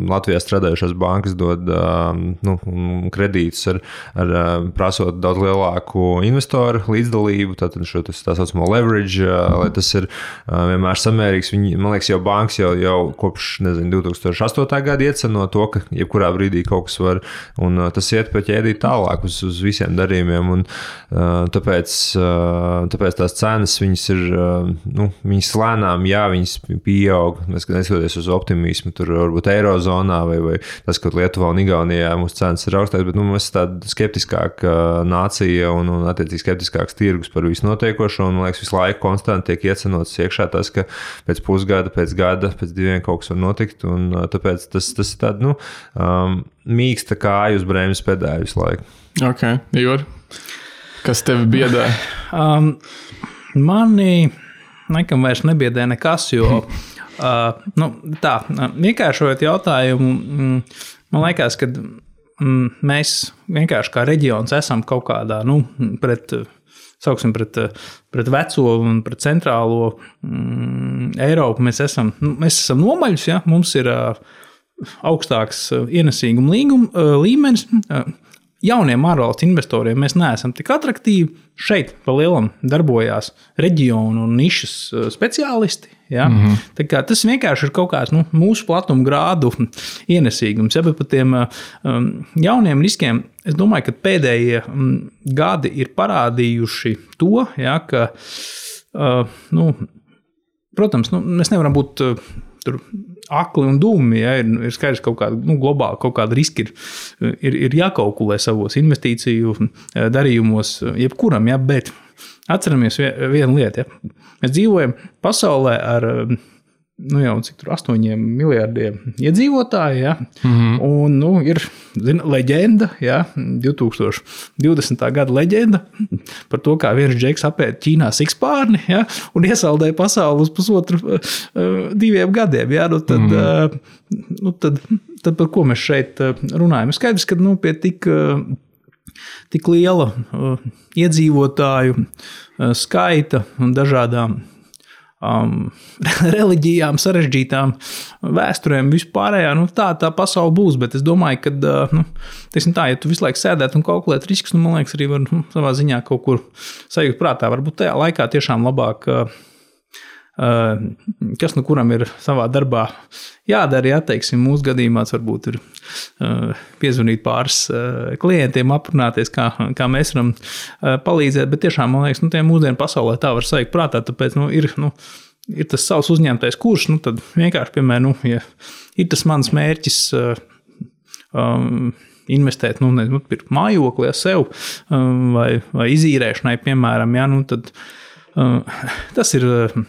Latvijā strādājušās bankas dod nu, kredītus ar, ar prasot daudz lielāku investoru līdzdalību, tātad šo tas, tā saucamo leverage, lai tas ir vienmēr samērīgs. Viņi, man liekas, jau bankas jau, jau kopš, nezinu, divi tūkstoši astotā gada ieceno to, ka jebkurā brīdī kaut kas var, un tas iet pa ķēdīt tālāk uz, uz visiem darījumiem, un tāpēc, tāpēc tās cenas, viņas ir, nu, viņas lēnām, jā, viņas pieaug, neskatoties uz optimismu, tur varbūt Eirozonā vai, vai tas, ka Lietuvā un Igaunijā mūsu cenas ir augstākas, bet, nu, mēs tāda skeptiskāka nācija un, un attiecīgi skeptiskāks tirgus par visu notiekošo, un, man liekas, visu laiku konstanti tiek iecenots iekšā tas, ka pēc pusgada, pēc gada, pēc diviem kaut kas var notikt, un tāpēc tas, tas ir tāda, nu, um, mīksta kāju uz brēmas pedāļu visu laiku. Ok, Ivar, kas tevi biedē? um, Mani nekam vairs nebiedē nekas, jo uh, nu, tā, vienkāršojot jautājumu, mm, man liekas, ka mm, mēs vienkārši kā reģions esam kaut kādā, nu, pret, sauksim, pret, pret veco un pret centrālo mm, Eiropu, mēs esam, nu, mēs esam nomaļus, ja, mums ir uh, augstāks ienesīguma līguma, uh, līmenis, uh, jauniem ārvalstu investoriem mēs neesam tik atraktīvi. Šeit pa lielam darbojās reģionu un nišas speciālisti. Ja? Mm-hmm. Tā kā tas vienkārši ir kaut kāds, nu, mūsu platuma grādu ienesīgums. Ja? Bet par tiem um, jauniem riskiem es domāju, ka pēdējie um, gadi ir parādījuši to, ja, ka, uh, nu, protams, nu, mēs nevaram būt uh, tur akli un dūmi, ja, ir, ir skaidrs kaut kāda, nu, globāli kaut kāda riska ir, ir, ir jākalkulē savos investīciju darījumos jebkuram, ja, bet atceramies vienu lietu, ja. Mēs dzīvojam pasaulē ar, nu, jau cik tur astoņiem miljardiem iedzīvotāji, ja, mm-hmm. un, nu, ir, zina, leģenda, ja, divtūkstoš divdesmitā gada leģenda par to, kā viens džeks apēd Ķīnā sikspārni, ja, un iesaldēja pasauli uz pusotru uh, diviem gadiem, ja, nu, tad, mm-hmm. uh, nu, tad, tad par ko mēs šeit runājam? Skaidrs, ka, nu, pie tik, uh, tik liela uh, iedzīvotāju uh, skaita un dažādām Um, reliģijām, sarežģītām vēsturēm, vispārējā, nu, tā, tā pasaule būs, bet es domāju, ka, uh, nu, teiksim tā, ja tu visu laiku sēdēt un kalkulēt riskus, nu, man liekas, arī var, nu, savā ziņā kaut kur sajūt prātā, varbūt tajā laikā tiešām labāk, uh, uh, kas nu kuram ir savā darbā jādara, ja, teiksim, mūsu gadījumā varbūt ir uh, piezvanīt pāris uh, klientiem, aprunāties, kā, kā mēs varam uh, palīdzēt, bet tiešām, man liekas, nu, tie mūsdienu pasaulē tā var sajūt prātā, tāpēc, nu, ir, nu, ir tas savs uzņemtais kurs, nu, tad vienkārši, piemēram, nu, ja ir tas mans mērķis uh, um, investēt, nu, nezinu, pirkt mājokli, ja, sev um, vai, vai izīrēšanai, piemēram, ja, nu, tad Uh, tas, ir,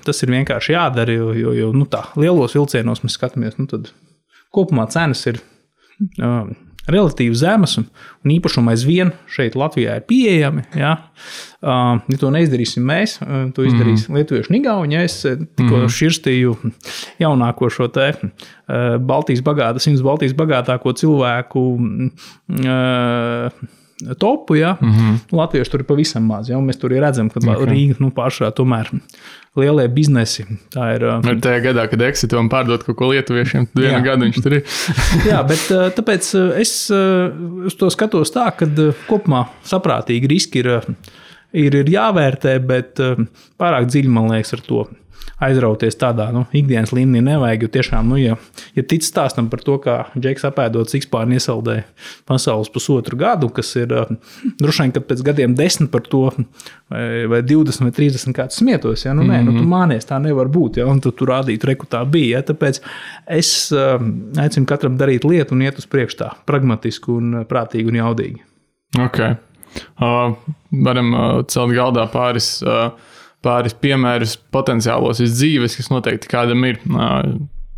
tas ir vienkārši jādara, jo, jo, jo nu tā, lielos vilcienos mēs skatāmies, nu tad kopumā cenas ir uh, relatīvi zemas un, un īpašumi aizvien šeit Latvijā ir pieejami. Ja, uh, ja to neizdarīsim mēs, uh, to izdarīs mm. lietuvieši un igauņi. Ja es tikko mm. širstīju jaunāko šo te uh, Baltijas bagātā, simts Baltijas bagātāko cilvēku uh, topu, ja, mm-hmm. latvieši tur ir pavisam maz, ja, un mēs tur redzam, ka okay. Rīga, nu, pārsvarā tomēr lielie biznesi, tā ir... Ar tajā gadā, kad eksitu un pārdot kaut ko lietuviešiem, vienu gadu viņš tur ir. Jā, bet tāpēc es uz to skatos tā, ka kopumā saprātīgi riski ir ir, ir jāvērtē, bet pārāk dziļi, man liekas, ar to aizrauties tādā nu, ikdienas līmenī nevajag. Jo tiešām, nu, ja, ja tic stāstam par to, kā Džeks apēdot sikspārni iesaldēja pasaules pusotru gadu, kas ir droši vien, kad pēc gadiem desmit par to vai, vai divdesmit vai trīsdesmit kāds smietos. Ja? Nu, nē, nu, tu mānies, tā nevar būt. Ja? Un tu, tu rādītu, reku tā bija. Ja? Tāpēc es uh, aicinu katram darīt lietu un iet uz priekšu tā pragmatiski un prātīgi un jaudīgi. Ok. Uh, varam uh, celt galdā pāris... Uh, pāris piemērus potenciālos iz dzīves, kas noteikti kādam ir.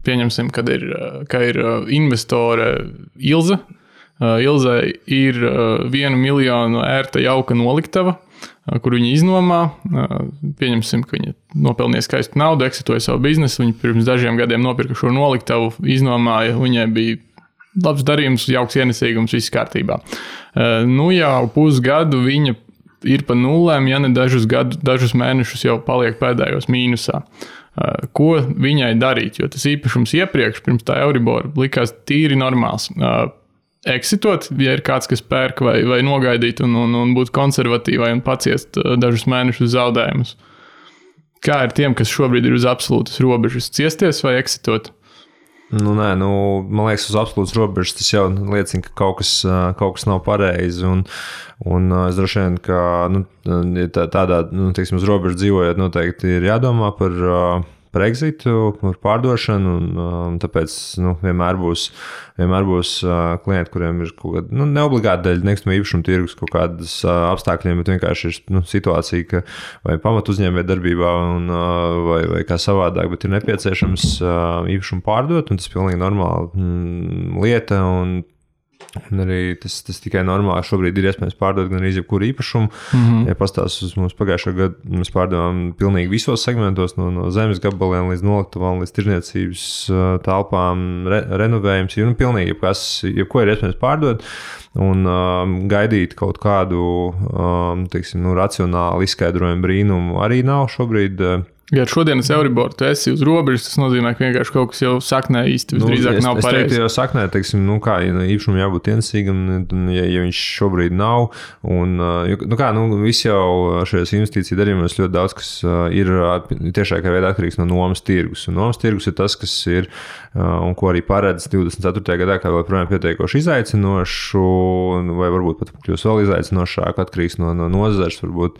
Pieņemsim, kad ir, ka ir investore Ilze. Ilze ir vienu miljonu ērta jauka noliktava, kur viņa iznomā. Pieņemsim, ka viņa nopelnīja skaistu naudu, eksitoja savu biznesu. Viņa pirms dažiem gadiem nopirka šo noliktavu, iznomāja. Viņai bija labs darījums, jauks ienesīgums, viss kārtībā. Nu jau pusgadu viņa ir pa nulēm, ja ne dažus, gadu, dažus mēnešus jau paliek pēdējos mīnusā. Ko viņai darīt? Jo tas īpašums iepriekš, pirms tā Euribor, likās tīri normāls. Exitot, ja ir kāds, kas pērk vai, vai nogaidīt un, un, un būt konservatīvai un paciest dažus mēnešus zaudējumus. Kā ir tiem, kas šobrīd ir uz absolūtas robežas? Ciesties vai exitot? Nu, nē, nu, man liekas, uz absolūtas robežas tas jau liecina, ka kaut kas, kaut kas nav pareizi. Un, un es droši vien, ka nu, tādā, nu, teiksim, uz robežas dzīvojot, noteikti ir jādomā par, par exitu, par pārdošanu. Un, tāpēc nu, vienmēr būs, vienmēr būs klienti, kuriem ir kaut kāda, nu, neobligāti dēļ nekustamo īpašumu tirgus kaut kādas apstākļiem, bet vienkārši ir nu, situācija, ka vai pamat uzņēmē darbībā un, vai, vai kā savādāk, bet ir nepieciešams īpašumu pārdot, un tas ir pilnīgi normāla mm, lieta. Un, Un arī tas, tas tikai normāli šobrīd ir iespējams pārdot gan arī jebkuru īpašumu. Mm-hmm. Ja pastāst uz mums pagājušā gadu, mēs pārdevām pilnīgi visos segmentos, no, no zemes gabaliem līdz noliktavām, līdz tirniecības telpām, re, renovējums. Nu, pilnīgi jebkas, jebko ir iespējams pārdot. Un um, gaidīt kaut kādu um, teiksim, nu, racionālu izskaidrojumu brīnumu arī nav šobrīd. Ja šodienas Euribor tu esi uz robežas, tas nozīmē, ka vienkārši kaut kas jau saknē īsti visdrīzāk nu, nav pareizi. Es teiktu, jau saknē, teiksim, nu kā, ja īpašumu jābūt ienesīgam, ja, ja viņš šobrīd nav. Un, nu kā, nu viss jau šajās investīciju darījumos ļoti daudz, kas ir tiešākā veidā atkarīgs no nomas tirgus. Un nomas tirgus ir tas, kas ir, un ko arī paredz divdesmit ceturtajā gadā, kā vēl projām pietiekoši izaicinošu, vai varbūt pat kļūs vēl izaicinošāk, atkarīgs no, no nozares, varbūt,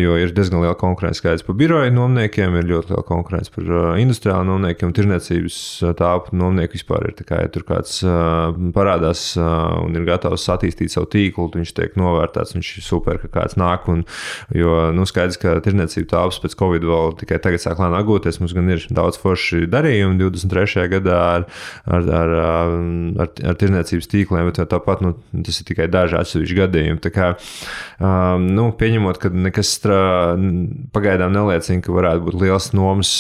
jo ir diezgan liela konkurence skaidrs pa biroju nomniekiem, ir ļoti liela konkurence par industriālu nomniekiem, tirniecības tāpu nomnieku vispār ir tā kā, ja tur kāds parādās un ir gatavs attīstīt savu tīklu, viņš tiek novērtēts, viņš ir super, ka kāds nāk, un, jo, nu, skaidrs, ka tirniecība tāpas pēc Covid vēl tikai tagad sāk lēnām atgūties, mums gan ir daudz forši darījumi divdesmit trešajā gadā ar, ar, ar, ar, ar tirniecības tīkliem, bet tāpat, nu, tas ir tikai daži atsevišķi gadījumi, tā kā, nu, pieņemot, ka nekas strā, pagaidām neliecina, ka varētu būt liels nomas,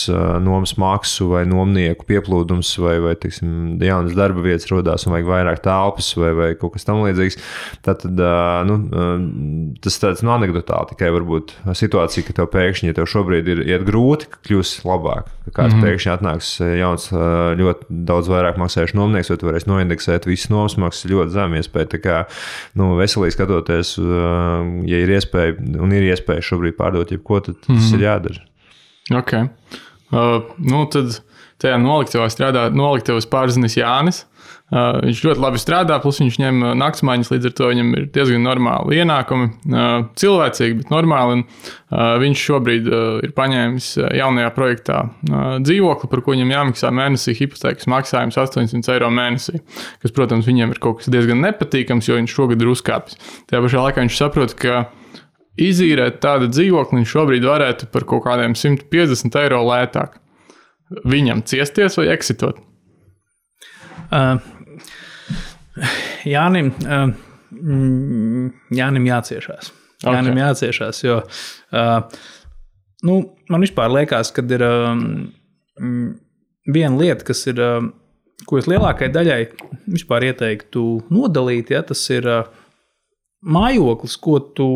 nomas maksu vai nomnieku pieplūdums vai, vai teiksim, jaunas darba vietas rodās un vajag vairāk telpas vai, vai kaut kas tam līdzīgs. Tātad, nu, tas tāds nu, anekdotāli tikai varbūt situācija, ka tev pēkšņi, ja tev šobrīd ir iet grūti, ka kļūs labāk. Ka kāds mm-hmm. pēkšņi atnāks jauns, ļoti daudz vairāk maksājuši nomnieks, vai tu varēsi noindeksēt visas nomas maksas ļoti zem iespēja. Tā kā, nu, veselīgi skatoties, ja ir iespēja un ir iespēja šobrīd pārdot jebko, tad tas mm-hmm. ir jādara. Ok. Uh, nu, tad tajā noliktavā strādā noliktavas pārzinis Jānis. Uh, viņš ļoti labi strādā, plus viņš ņem naktsmaiņas, līdz ar to viņam ir diezgan normāli ienākumi. Uh, cilvēcīgi, bet normāli. Un, uh, viņš šobrīd uh, ir paņēmis jaunajā projektā uh, dzīvokli, par ko viņam jāmaksā mēnesī hipotēkas maksājums astoņsimt eiro mēnesī. Kas, protams, viņam ir kaut kas diezgan nepatīkams, jo viņš šogad ir uzkāpis. Tajā pašā laikā viņš saprot, ka izīrēt tādu dzīvokli viņš šobrīd varētu par kaut kādiem simt piecdesmit eiro lētāk. Viņam ciesties vai eksitot? Uh, Jānim, uh, Jānim jāciešās. Okay. Jānim jāciešās, jo uh, nu, man vispār liekas, kad ir um, viena lieta, kas ir, um, ko es lielākai daļai vispār ieteiktu nodalīt, ja, tas ir uh, mājoklis, ko tu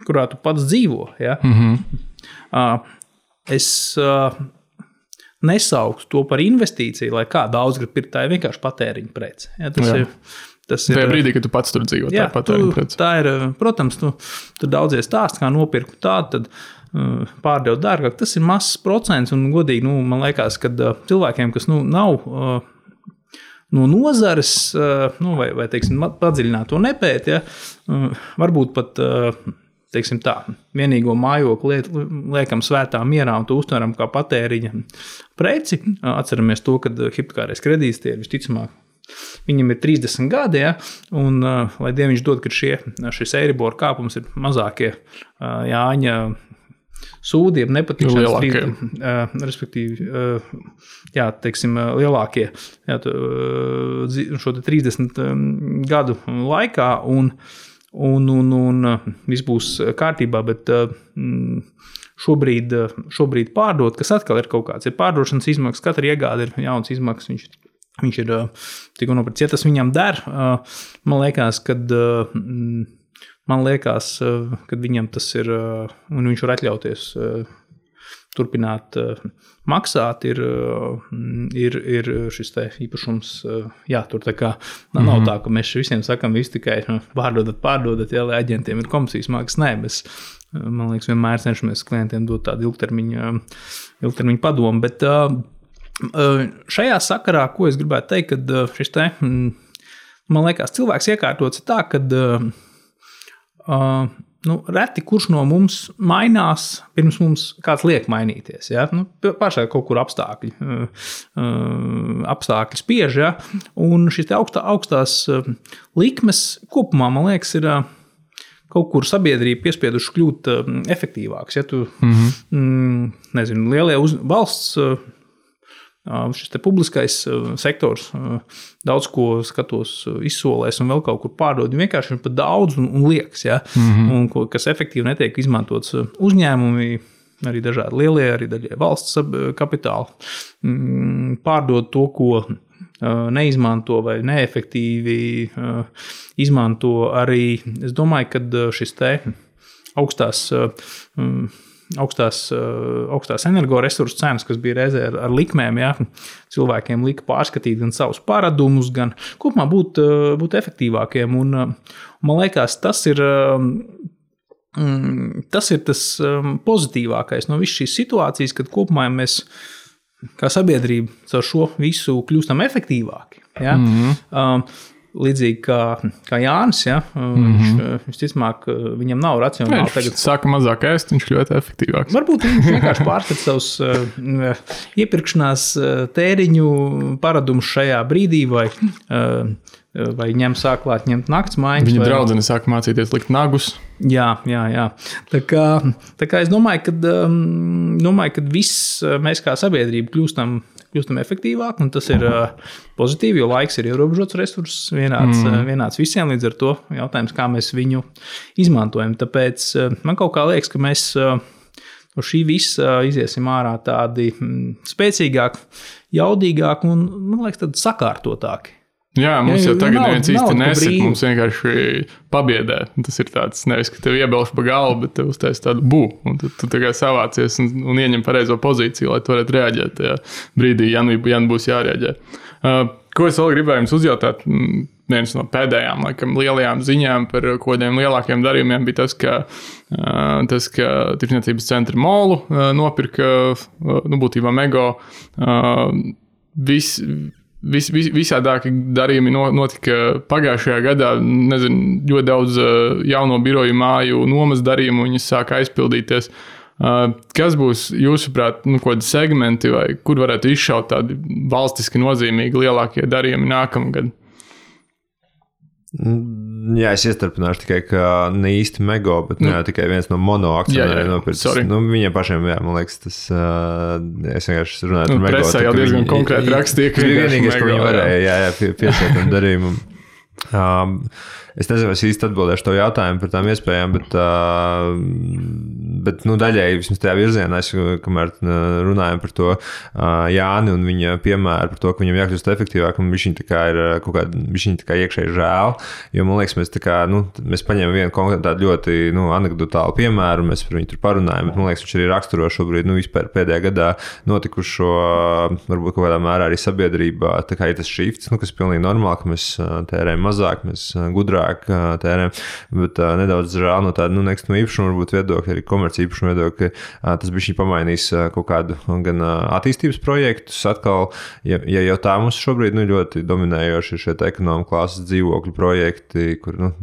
kurā tu pats dzīvo. Ja? Mm-hmm. Uh, es uh, nesauktu to par investīciju, lai kā daudz grib pirkt, tā ir vienkārši patēriņa prece. Ja? Tas, ir, Tas ir tajā brīdī, kad tu pats tur dzīvo. Jā, tā, tu, tā ir, protams, tu, tur daudzie stāsti, kā nopirkt tādu, tad uh, pārdev dārgāk. Tas ir mazs procents, un godīgi, nu, man liekas, ka uh, cilvēkiem, kas nu, nav uh, no nozares, uh, nu, vai, vai teiksim, padziļināt to nepēt, ja, uh, varbūt pat, uh, teiksim tā, vienīgo mājokli liet, liekam svētā mierā un to uztveram kā patēriņa preci. Uh, atceramies to, ka hipotekārais kredīts tie ir visticamāk. Viņam ir trīsdesmit gadi, ja, un, uh, lai Dieviņš dod, ka šie, šis Eiribor kāpums ir mazākie uh, Jāņa sūdi, ja nepatikšanas lielākie. Uh, respektīvi, uh, jā, teiksim, uh, lielākie jā, tu, uh, šo te trīsdesmit um, gadu laikā, un, un, un, un uh, viss būs kārtībā, bet uh, šobrīd, uh, šobrīd pārdot, kas atkal ir kaut kāds, ir pārdošanas izmaksas, katra iegāde ir jauns izmaksas, viņš Viņš ir tikko nopircis, ja tas viņam der. Man liekas, kad, man liekas, kad viņam tas ir, un viņš var atļauties turpināt maksāt, ir, ir, ir šis te īpašums jātur. Tā kā nav mm-hmm. tā, ka mēs visiem sakam, visi tikai pārdodat, pārdodat, ja, lai aģentiem ir komisijas maksas. Nē, mēs, man liekas, vienmēr cenšamies klientiem dot tādu ilgtermiņu, ilgtermiņu padomu, bet šajā sakarā, ko es gribētu teikt, kad šis te, man liekas, cilvēks iekārtots tā, kad nu, reti kurš no mums mainās, pirms mums kāds liek mainīties. Ja? Nu, pašai kaut kur apstākļi, apstākļi spiež, ja? Un šis te augstā, augstās likmes kopumā, man liekas, ir kaut kur sabiedrība piespieduši kļūt efektīvāks. Ja tu, mm-hmm. nezinu, lielie uz, valsts šis te publiskais sektors daudz ko skatos izsolēs un vēl kaut kur pārdod. Vienkārši ir pat daudz un, un liekas, ja? mm-hmm. un ko, kas efektīvi netiek izmantots uzņēmumi, arī dažādi lielie, arī daļai valsts kapitāli, pārdod to, ko neizmanto vai neefektīvi izmanto arī. Es domāju, ka šis te augstās augstās, augstās energoresursu cenas, kas bija reizē ar, ar likmēm, ja, cilvēkiem lika pārskatīt gan savus paradumus, gan kopumā būt, būt efektīvākiem. Un, man liekas, tas ir, tas ir tas pozitīvākais no visas šīs situācijas, kad kopumā mēs kā sabiedrība ar šo visu kļūstam efektīvāki. Ja. Mm-hmm. Līdzīgi kā, kā Jānis, ja, mm-hmm. viņš, viņš ticamāk, viņam nav racionāli. Viņš tagad sāka mazāk ēst, viņš ļoti efektīvāks. Varbūt viņš vienkārši pārskata savus uh, iepirkšanās tēriņu paradumus šajā brīdī, vai, uh, vai ņem sāklāt ņemt nakts mājas. Viņa vai... draudzene sāka mācīties likt nagus. Jā, jā, jā. Tā kā, tā kā es domāju, ka, um, domāju, ka viss mēs kā sabiedrība kļūstam kļūstam efektīvāk, un tas ir uh, pozitīvi, jo laiks ir ierobežots resurss, vienāds, mm. uh, vienāds visiem, līdz ar to jautājums, kā mēs viņu izmantojam. Tāpēc uh, man kaut kā liekas, ka mēs uh, no šī visa uh, iziesim ārā tādi mm, spēcīgāki, jaudīgāki un, man liekas, tādi sakārtotāki. Jā, mums jā, jau tagad nav, neviens īsti nesaka, mums vienkārši pabiedē. Tas ir tāds, nevis, ka tev iebelš pa galvu, bet tev uztais tādu bū, un tu, tu tā kā savācies un, un ieņem pareizo pozīciju, lai tu varētu reaģēt tajā brīdī, ja nu, ja nu būs jārēģē. Uh, ko es vēl gribēju jums uzjautāt? Viens no pēdējām, laikam, lielajām ziņām par kodiem lielākiem darījumiem bija tas, ka, uh, tas, ka Tirdzniecības centra Molu uh, nopirka, uh, nu, būtībā Mego, uh, vis, Vis, vis, visādāki darījumi notika pagājušajā gadā. Nezinu, ļoti daudz jauno biroju māju nomas darījumu viņas sāka aizpildīties. Kas būs, jūsuprāt, nu, kādi segmenti vai kur varētu izšaut tādi valstiski nozīmīgi lielākie darījumi nākamgad? Jā, es iestarpināšu tikai, ka ne īsti Mego, bet nu, jā, tikai viens no mono akcionāriem nopircis. Nu, viņiem pašiem, jā, man liekas, tas, uh, es vienkārši runāju nu, par Mego. Presē jau diezgan konkrēti rakstīja, ka vienīgais, ko viņi varēja, jā, jā, pie, piesēt tam darījumu. Um, es nezinu, es īsti atbildēšu to jautājumu par tām iespējām, bet, uh, bet nu, daļēji vismaz tajā virzienā, es, kamēr runājam par to uh, Jāni un viņa piemēru par to, ka viņam jākļūst efektīvāk, un viņš tā kā ir kaut kā, viņš tā kā iekšēji žēl, jo man liekas, mēs tā kā, nu, mēs paņemam vienu konkrētu tādu ļoti, nu, anekdotālu piemēru, mēs par viņu tur parunājam, bet man liekas, viņš arī raksturo šobrīd, nu, vispār pēdējā gadā notikušo, varbūt kaut kādā mērā arī sabiedrībā, tā kā ir tas shifts, nu, kas ir pilnīgi normāli, ka mēs tērējam tērējam mazāk, mēs gudrāk tērējam, bet nedaudz žēl no tāda, nu, nekustamo īpašumu varbūt viedokļa, arī komerci īpašumu viedokļa, ka tas bišķi pamainīs kaut kādu gan attīstības projektus atkal, ja, ja jau tā mums šobrīd, nu, ļoti dominējoši ir šie ekonomika klāsas dzīvokļu projekti, kur, nu,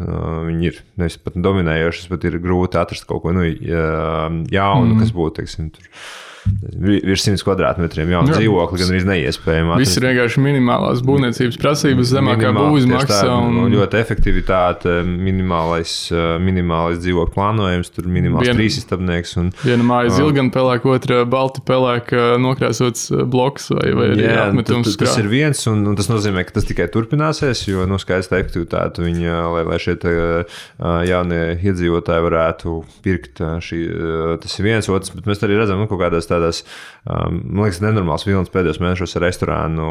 viņi ir, nevis pat dominējošas, bet ir grūti atrast kaut ko, nu, jaunu, mm. kas būtu, teiksim, tur. Virs simts kvadrātmetriem jaunu dzīvokli, gan arī neiespējami. Viss ir vienkārši minimālās būvniecības prasības, zemākā būvizmaksa. Un... Ļoti efektivitāte, minimālais, minimālais dzīvokļu plānojums, tur minimāls Vien, trīsistabnieks. Un, viena māja zilgan pelēk, otra balti pelēk nokrāsots bloks vai, vai arī jā, apmetums. Tas, tas ir viens, un, un tas nozīmē, ka tas tikai turpināsies, jo, nu, skaista efektivitāte viņa, lai, lai šie te, jaunie iedzīvotāji varētu pirkt šī, tas ir viens, otrs, bet mēs arī redzam, nu, kaut kādās tādās, um, man liekas, nenormāls vilnis pēdējos mēnešos ar restorānu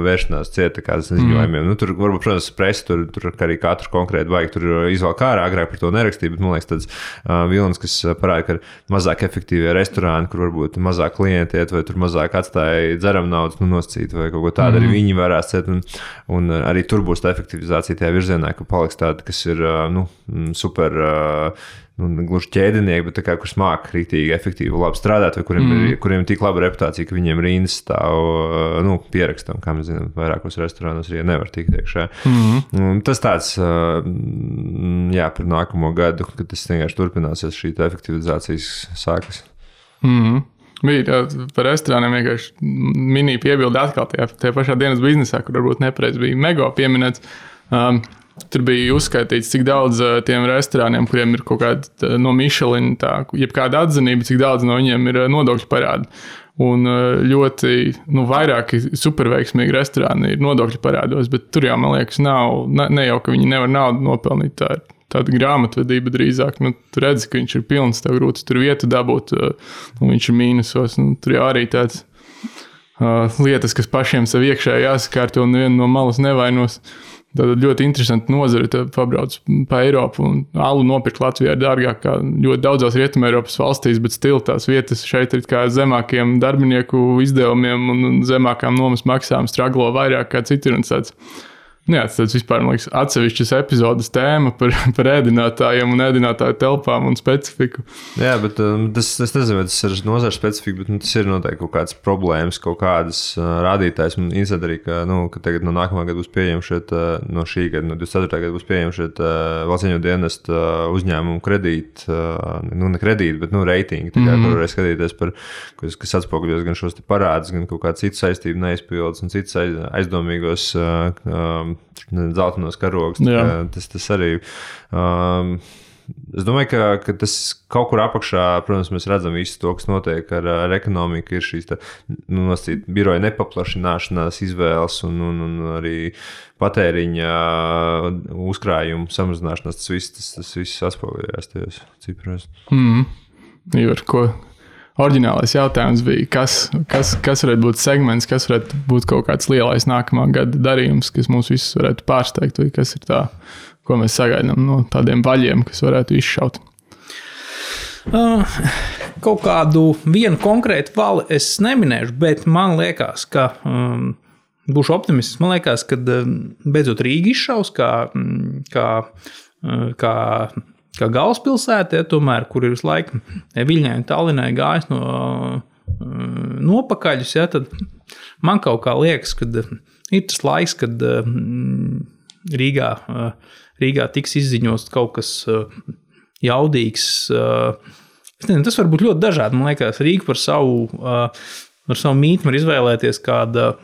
vēršanās cieta kādas ziņojumiem. Mm. Nu, tur, varbūt, protams, presi, tur, tur arī katru konkrēti vajag, tur izvēl kā ārā, agrāk par to nerakstīja, bet, man liekas, tāds uh, vilnis, kas parāda, ka mazāk efektīvie restorāni, kur varbūt mazāk klienti iet, vai tur mazāk atstāja dzeram naudas, nu, noscīt, vai kaut ko tādu, mm. arī viņi varēs ciet, un, un arī tur būs tā efektivizācija tajā virzienā, ka paliks tāda, kas ir, uh, nu, super, uh, nu, gluži ķēdinieki, bet tā kā, kurš māk rīktīgi efektīvi labi strādāt, vai kuriem, mm. ir, kuriem ir tik laba reputācija, ka viņiem rindas stāv, nu, pierakstam, kā mēs zinām, vairākos restorānos arī nevar tikt iekšā. Mm. Tas tāds, jā, par nākamo gadu, kad tas vienkārši turpināsies, šī efektivizācijas sākas. Mm. Bija par restorāniem vienkārši mini piebildi atkal tajā, tajā pašā dienas biznesā, kur varbūt nepareiz bija Mego pieminēts. Um, Tur bija uzskaitīts, cik daudz uh, tiem restorāniem, kuriem ir kaut kāda no Michelin, tā, jebkāda atzinība, cik daudz no viņiem ir nodokļu parādi. Un uh, ļoti, nu, vairāki superveiksmīgi restorāni ir nodokļu parādos, bet tur jau, man liekas, nav, ne, ne jau, ka viņi nevar naudu nopelnīt, tā ir tāda grāmatvedība drīzāk. Nu, tu redzi, ka viņš ir pilns, tev grūti tur vietu dabūt, uh, un viņš ir mīnusos. Nu, tur jau arī tāds uh, lietas, kas pašiem sev iekšā jāsakārto un nevienu no malas nevainos. Tātad ļoti interesanti nozare, tad pabrauc pa Eiropu un alu nopirkt Latvijā ir dārgāk kā ļoti daudzās Rietumē Eiropas valstīs, bet stila tās vietas šeit ir kā zemākiem darbinieku izdevumiem un zemākām nomas maksām straglo vairāk kā citur un tāds. Jā, tas vispār, man liekas, atsevišķas epizodes tēma par, par ēdinātājiem un ēdinātāju telpām un specifiku. Jā, bet um, tas, es nezinu, vai tas ir nozars specifika, bet nu, tas ir noteikti kaut kādas problēmas, kaut kādas uh, rādītājs. Man interesē arī, ka, nu, ka tagad no nākamā gada būs pieejami šeit, uh, no šī gada, no divdesmit ceturtā gada būs pieejami šeit uh, valsts ieņēmumu dienesta uh, uzņēmumu kredīti, uh, nu, ne kredīti, bet, nu, reitingi, tā kā, mm-hmm. kur varēs skatīties par, kas, kas atspoguļos gan šos te parādus, gan kaut kādu citu saistību neizpildus un citus aizdomīgos uh, um, zeltainos karogus. Tas, tas arī. Um, es domāju, ka, ka tas kaut kur apakšā, protams, mēs redzam visu to, kas notiek ar, ar ekonomiku, ir šīs tā, nu, nosīt, biroja nepaplašināšanās izvēles un, un, un arī patēriņa uzkrājumu samazināšanās. Tas viss, tas, tas viss atspoguļojās tajos cipros. Mm. Ivar, ko? Oriģinālais jautājums bija, kas, kas, kas varētu būt segments, kas varētu būt kaut kāds lielais nākamā gada darījums, kas mūs visus varētu pārsteigt, vai kas ir tā, ko mēs sagaidām no tādiem vaļiem, kas varētu izšaut? Uh, kaut kādu vienu konkrētu vali es neminēšu, bet man liekas, ka um, būšu optimists. Man liekas, ka um, beidzot Rīga izšaus kā, kā, kā kā galvaspilsēta, ja, tomēr, kur ir visu laiku Viļņai un Tallinai gājis no nopakaļus, ja, tad man kaut kā liekas, ka ir tas laiks, kad Rīgā, Rīgā tiks izziņots kaut kas jaudīgs. Tas var būt ļoti dažādi. Man liekas, Rīga par savu, par savu mītni var izvēlēties kāda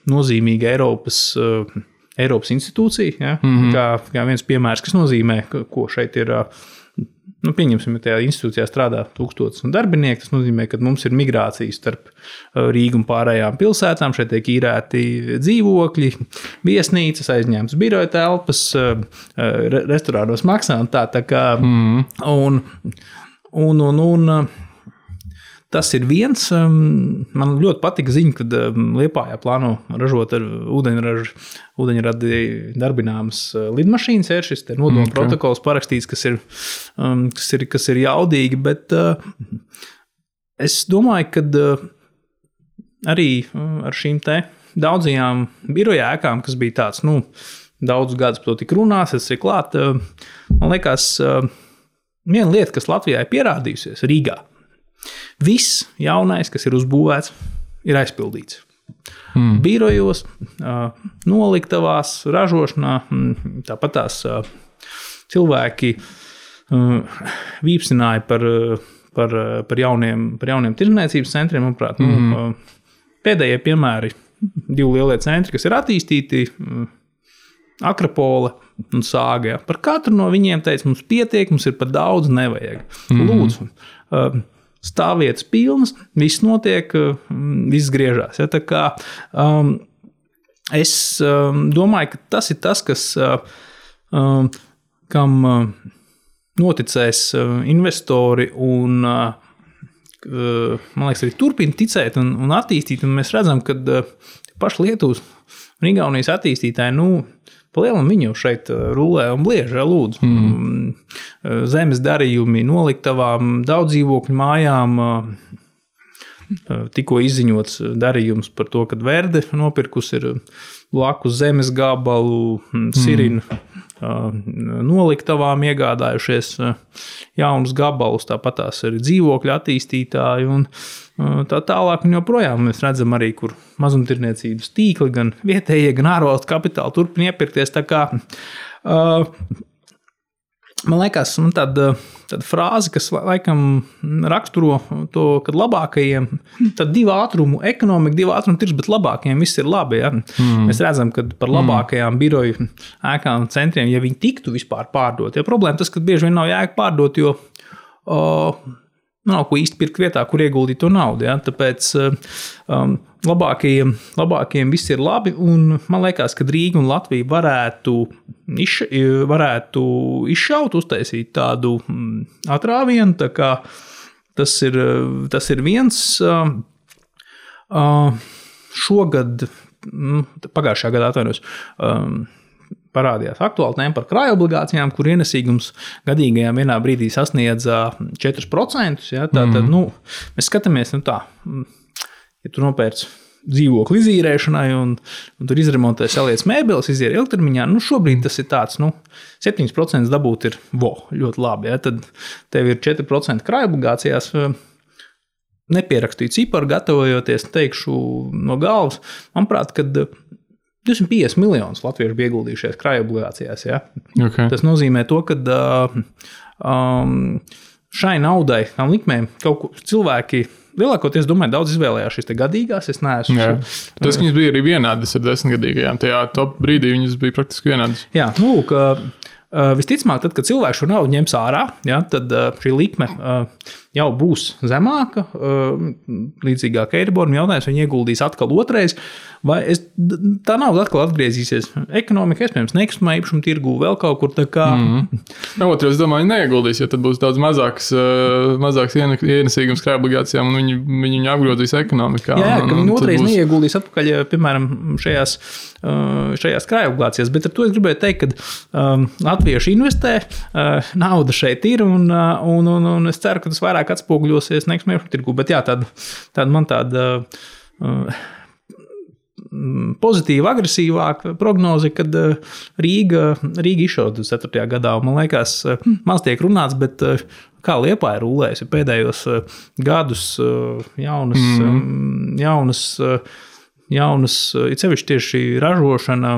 nozīmīga Eiropas Eiropas institūcija, ja? mm-hmm. kā, kā viens piemērs, kas nozīmē, ko šeit ir, nu, pieņemsim, ja tajā institūcijā strādā tūkstotis darbinieki, tas nozīmē, ka mums ir migrācija starp Rīgu un pārējām pilsētām, šeit tiek īrēti dzīvokļi, viesnīcas, aizņemtas biroja telpas, restorānos maksā un tā, tā kā, mm-hmm. un, un, un, un tas ir viens. Man ļoti patika ziņa, kad Liepājā plāno ražot ar ūdeņražu, ūdeņradi darbināmas lidmašīnas. Ir šis nodomu okay. protokols parakstīts, kas ir, kas ir, kas ir jaudīgi, bet es domāju, ka arī ar šīm te daudzajām biroja ēkām, kas bija tāds, nu, daudz gadus par to tik runās, es ir klāt. Man liekas, viena lieta, kas Latvijā ir pierādījusies, Rīgā. Viss jaunais, kas ir uzbūvēts, ir aizpildīts. Mm. Birojos, noliktavās, ražošanā, tāpat tās cilvēki vīpsināja par, par, par, jauniem, par jauniem tirdzniecības centriem. Manuprāt, mm. nu, pēdējie piemēri, divi lielie centri, kas ir attīstīti, Akropole un Sāga. Par katru no viņiem teica, mums pietiek, mums ir par daudz, nevajag. Mm. Lūdzu, stāvvietas pilnas, viss notiek, viss griežās. Ja, tā kā, um, es um, domāju, ka tas ir tas, kas, um, kam uh, noticēs uh, investori un, uh, man liekas, arī turpina ticēt un, un attīstīt. Un mēs redzam, ka uh, paši Lietuvas un Igaunijas attīstītāji, nu, palielam viņu šeit rulē un bliež, lūdzu. Mm. Zemes darījumi noliktavām, daudz dzīvokļu mājām, tikko izziņots darījums par to, kad Verde nopirkus ir blakus zemes gabalu, Sirinu mm. noliktavām iegādājušies jaunus gabalus, tāpat tās ir dzīvokļu attīstītāji un tā tālāk un joprojām mēs redzam arī, kur mazumtirniecības tīkli, gan vietējie, gan ārvalstu kapitāli turpina iepirkties. Tā kā, uh, man liekas, man tāda, tāda frāze, kas laikam raksturo to, kad labākajiem, tad divu ātrumu ekonomika, divu ātrumu tirgus, bet labākajiem viss ir labi. Ja? Mm. Mēs redzam, ka par labākajām mm. biroju ēkām centriem, ja viņi tiktu vispār pārdot, ja problēma tas, ka bieži vien nav jēga pārdot, jo uh, nav ko īsti pirkt vietā, kur ieguldīt to naudu. Ja? Tāpēc um, labākajiem, labākajiem viss ir labi, un man liekas, ka Rīga un Latvija varētu, iš, varētu izšaut, uztaisīt tādu mm, atrāvienu, tā kā tas ir, tas ir viens. Uh, uh, šogad, mm, pagājušajā gadā atvainojos, um, parādījās aktuāli tēma par krājobligācijām, kur ienesīgums gadīgajām vienā brīdī sasniedza četri procenti. Ja, tā, tad, nu, mēs skatāmies, nu tā, ja tu nopērci dzīvokli izīrēšanai un, un tur izremontē saliec mēbeles, izīrē ilgtermiņā, nu šobrīd tas ir tāds, nu, septiņi procenti dabūt ir vo, ļoti labi. Ja, tad tev ir četri procenti krājobligācijās. Nepierakstīju ciparu, gatavojoties, teikšu no galvas. Manuprāt, kad divsimt piecdesmit miljonus latviešu bija ieguldījušies krājobligācijās. Ja? Okay. Tas nozīmē to, ka um, šai naudai, tām likmēm, kaut ko cilvēki lielākoties, domāju, daudz izvēlējās šīs te gadīgās. Es neesmu. Jā. Tas, ka viņas bija arī vienādas ar desmitgadīgajām. Tajā top brīdī viņas bija praktiski vienādas. Jā, nu, ka uh, visticamāk, tad, kad cilvēks šo naudu ņems ārā, ja, tad uh, šī likme uh, jau būs zemāka, uh, līdzīgāk Eiriboram. Jautājums, vai viņi ieguldīs atkal otrais, vai es, tā nauda atkal atgriezīsies ekonomika, iespējams, nekustamā īpašuma tirgū vēl kaut kur tā kā. Mm-hmm. Otrs, es domāju, neieguldīs, jo tad būs daudz mazāks, uh, mazāks ienesīgums krājobligācijām un viņi, viņi viņu apgrozīs ekonomikā. Jā, jā, un, ka viņi otrais būs... neieguldīs atpakaļ, piemēram, šajās, uh, šajās krājobligācijās, bet ar to es gribēju teikt, ka um, latvieši investē, uh, nauda šeit ir un, uh, un, un, un es ceru, ka tas vairāk atspoguļosies nekustamā īpašuma tirgū, bet jā, tāda, tāda man tāda uh, pozitīva, agresīvāka prognoze, kad Rīga, Rīga izšauta ceturtajā gadā. Man liekas, maz tiek runāts, bet kā Liepāja rulējusi pēdējos gadus jaunas, mm. jaunas, jaunas, it sevišķi tieši ražošana,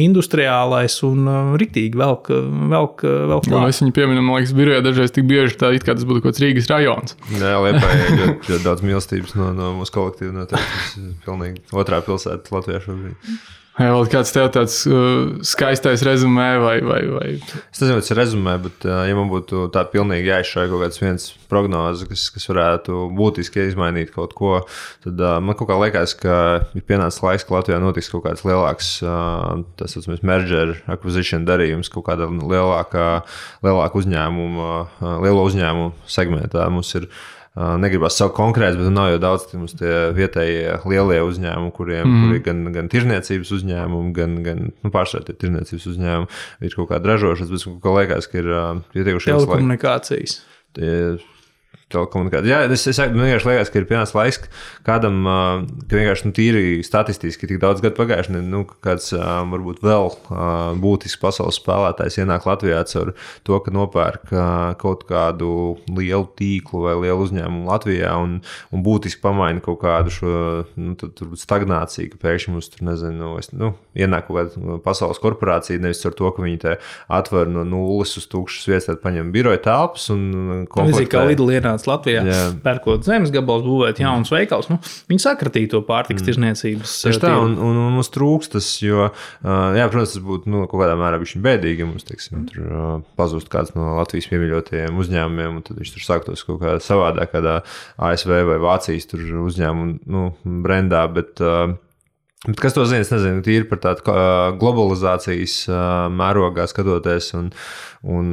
industriālais un riktīgi velk, velk, velk klāt. Mēs viņu pieminam, man liekas, birojā dažreiz tik bieži tā, it kā tas būtu kaut kāds Rīgas rajons. Jā, Liepāja ir ļoti, ļoti daudz mīlestības no, no mūsu kolektīva, no tas pilnīgi otrā pilsēta Latvijā šobrīd. Vai vēl kāds tev tāds uh, skaistais rezumē vai, vai, vai? Es nezinu, vai tas ir rezumē, bet uh, ja man būtu tā pilnīgi jāizšauj kaut kāds viens prognoze, kas, kas varētu būtiski izmainīt kaut ko, tad uh, man kaut kā liekas, ka ir pienācis laiks, ka Latvijā notiks kaut kāds lielāks, uh, tas saucamies merger acquisition darījums, kaut kāda lielāka, lielāka uzņēmuma, uh, lielo uzņēmumu segmentā. Mums ir negribas savu konkrēts, bet nav jau daudz mums tie vietējie lielie uzņēmumi, kuriem mm. kuri gan, gan tirniecības uzņēmumi, gan, gan nu, pārsvarā tie tirniecības uzņēmumi, ir kaut kāda ražošanas, bet kaut kā liekas, ka ir ieteikušies telekomunikācijas. Tie telekomunikācijas. Jā, es, es vienkārši liekas, ka ir pienācis laiks kādam, ka vienkārši nu, tīri statistiski tik daudz gadu pagājuši, nu, kāds varbūt vēl būtisks pasaules spēlētājs ienāk Latvijā caur to, ka nopērk kaut kādu lielu tīklu vai lielu uzņēmumu Latvijā un, un būtiski pamaina kaut kādu šo nu, turbūt stagnāciju, ka pēkšņi mums tur, nezinu, es, nu, ienāk kaut kāda pasaules korporācija, nevis ar to, ka viņi te atver no nulles uz tūkšas vietas, tad paņem biroja telpas un komplektē. Kā Lidl ienāca Latvijā, jā. Pērkot zemes gabals, būvēt jaunas veikals. Nu, viņi sakratīja to pārtikas tirzniecības. Tieši tā, un, un, un mums trūkst tas, jo, jā, protams, tas būtu nu, kaut kādā mērā bišķi bēdīgi, ja mums, teiksim, tur pazūst kāds no Latvijas piemīļotajiem uzņēmumiem, un tad viņš tur sāktos kaut kā savādāk, kādā A S V vai Vācijas tur uzņēmumu, nu, brendā, bet Bet kas to zina, es nezinu, tīri par tādu globalizācijas mērogā skatoties, un, un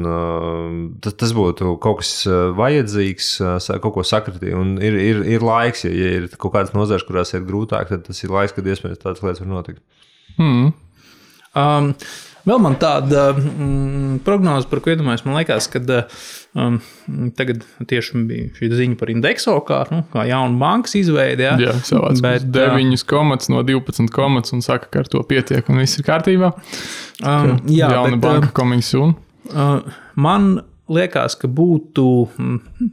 tas, tas būtu kaut kas vajadzīgs, kaut ko sakratīt, un ir, ir, ir laiks, ja, ja ir kaut kādas nozares, kurās ir grūtāk, tad tas ir laiks, kad iespējams tādas lietas var notikt. Hmm. Um, vēl man tāda mm, prognoze, par ko iedomājos, man liekas, kad um, tagad tieši bija šī ziņa par Indexo, kā, nu, kā jaunu bankas izveidi. Jā, jā savāds deviņas komats no divpadsmit komats un saka, ka ar to pietiek un viss ir kārtībā. Um, jā, jauna bet, banka coming soon. Uh, man liekas, ka būtu,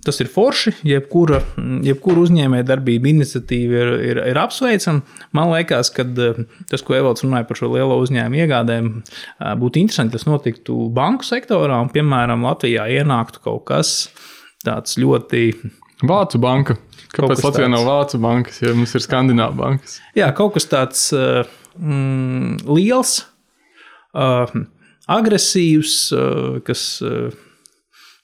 tas ir forši, jebkura, jebkura uzņēmēja darbība iniciatīva ir, ir, ir apsveicama. Man liekas, ka tas, ko Evalds runāja par šo lielo uzņēmumu iegādēm, būtu interesanti, tas notiktu banku sektorā, un, piemēram, Latvijā ienāktu kaut kas tāds ļoti... Vācu banka. Kāpēc Latvijā tāds... nav Vācu bankas, ja mums ir Skandināvu bankas? Jā, kaut kas tāds mm, liels, uh, agresīvs, uh, kas... Uh,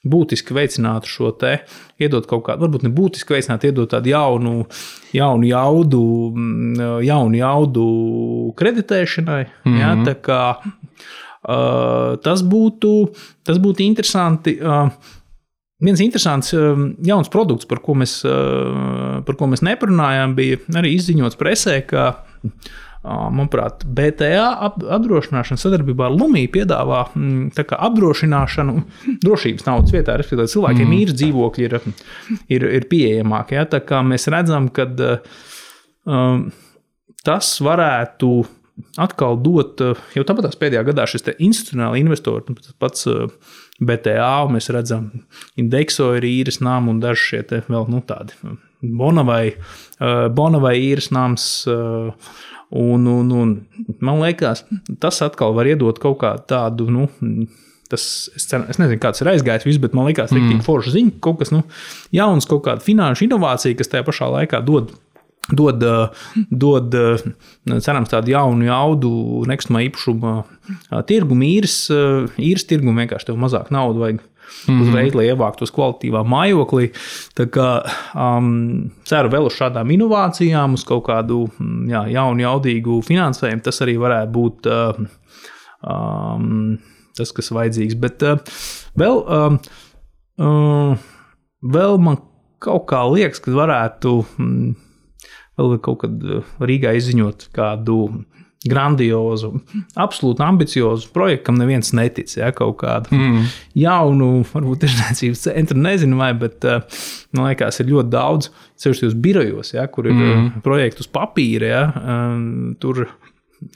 būtiski veicinātu šo te, iedot kaut kādu, varbūt ne būtiski veicinātu, iedot tādu jaunu, jaunu jaudu, jaunu jaudu kreditēšanai. Mm-hmm. Ja, tā kā uh, tas būtu, tas būtu interesanti. Uh, viens interesants uh, jauns produkts, par ko mēs, uh, par ko mēs neparunājām, bija arī izziņots presē, ka manuprāt, B T A apdrošināšana sadarbībā ar Lumiju piedāvā tā kā apdrošināšanu drošības naudas vietā, respektīvi cilvēkiem mm. īres dzīvokļi ir, ir, ir pieejamāki. Ja? Tā kā mēs redzam, ka um, tas varētu atkal dot, jau tāpatās pēdējā gadā šis te institucionāli investori, pats B T A, mēs redzam, Indexo ir īres nām un daži šie te vēl nu, tādi Bonavai, Bonavai īres nams. Un, un, un man liekas, tas atkal var iedot kaut kā tādu, nu, tas, es, ceru, es nezinu, kāds ir aizgājis viss, bet man liekas, mm. tik forša ziņa, kaut kas, nu, jauns, kaut kāda finanšu inovācija, kas tajā pašā laikā dod, dod, dod cerams, tādu jaunu jaudu nekustamā īpašuma tirgumu, īres, īres tirgumu, vienkārši tev mazāk naudu vajag. Mm-hmm. Uzreiz, lai ievāktos kvalitīvā mājoklī. Tā kā um, ceru vēl uz šādām inovācijām, uz kaut kādu jā, jaunu, jaudīgu finansējumu. Tas arī varētu būt uh, um, tas, kas vajadzīgs. Bet uh, vēl, um, uh, vēl man kaut kā liekas, ka varētu um, vēl kaut kad Rīgā izziņot kādu grandiozu, absolūti ambiciozu projektu, kam neviens netic, ja, kaut kādu mm. jaunu, varbūt tiešniecības centru, nezinu vai, bet man liekas, ir ļoti daudz, sevišķi uz birojos, ja, kur ir mm. projekti uz papīra, ja, tur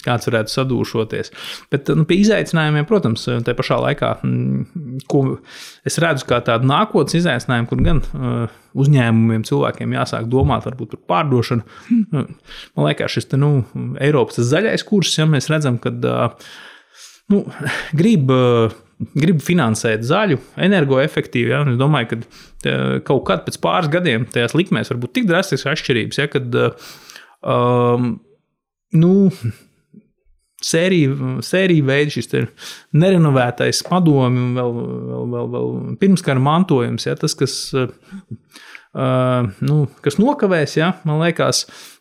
kāds varētu sadūšoties. Bet nu, pie izaicinājumiem, protams, tajā pašā laikā, ko es redzu kā tādu nākotnes izaicinājumu, kur gan uh, uzņēmumiem, cilvēkiem jāsāk domāt varbūt par pārdošanu. Man liekas, šis te, nu, Eiropas zaļais kurs, ja mēs redzam, kad uh, nu, grib, uh, grib finansēt zaļu, energoefektīvu, ja, un es domāju, ka tā, kaut kad pēc pāris gadiem tajās likmēs var būt tik drastisks atšķirības, ja, kad uh, um, nu, Sērija, sērija veidi šis nerenovētais padomi un vēl, vēl, vēl, vēl pirmskara mantojums, ja, tas, kas, uh, nu, kas nokavēs, ja, man liekas,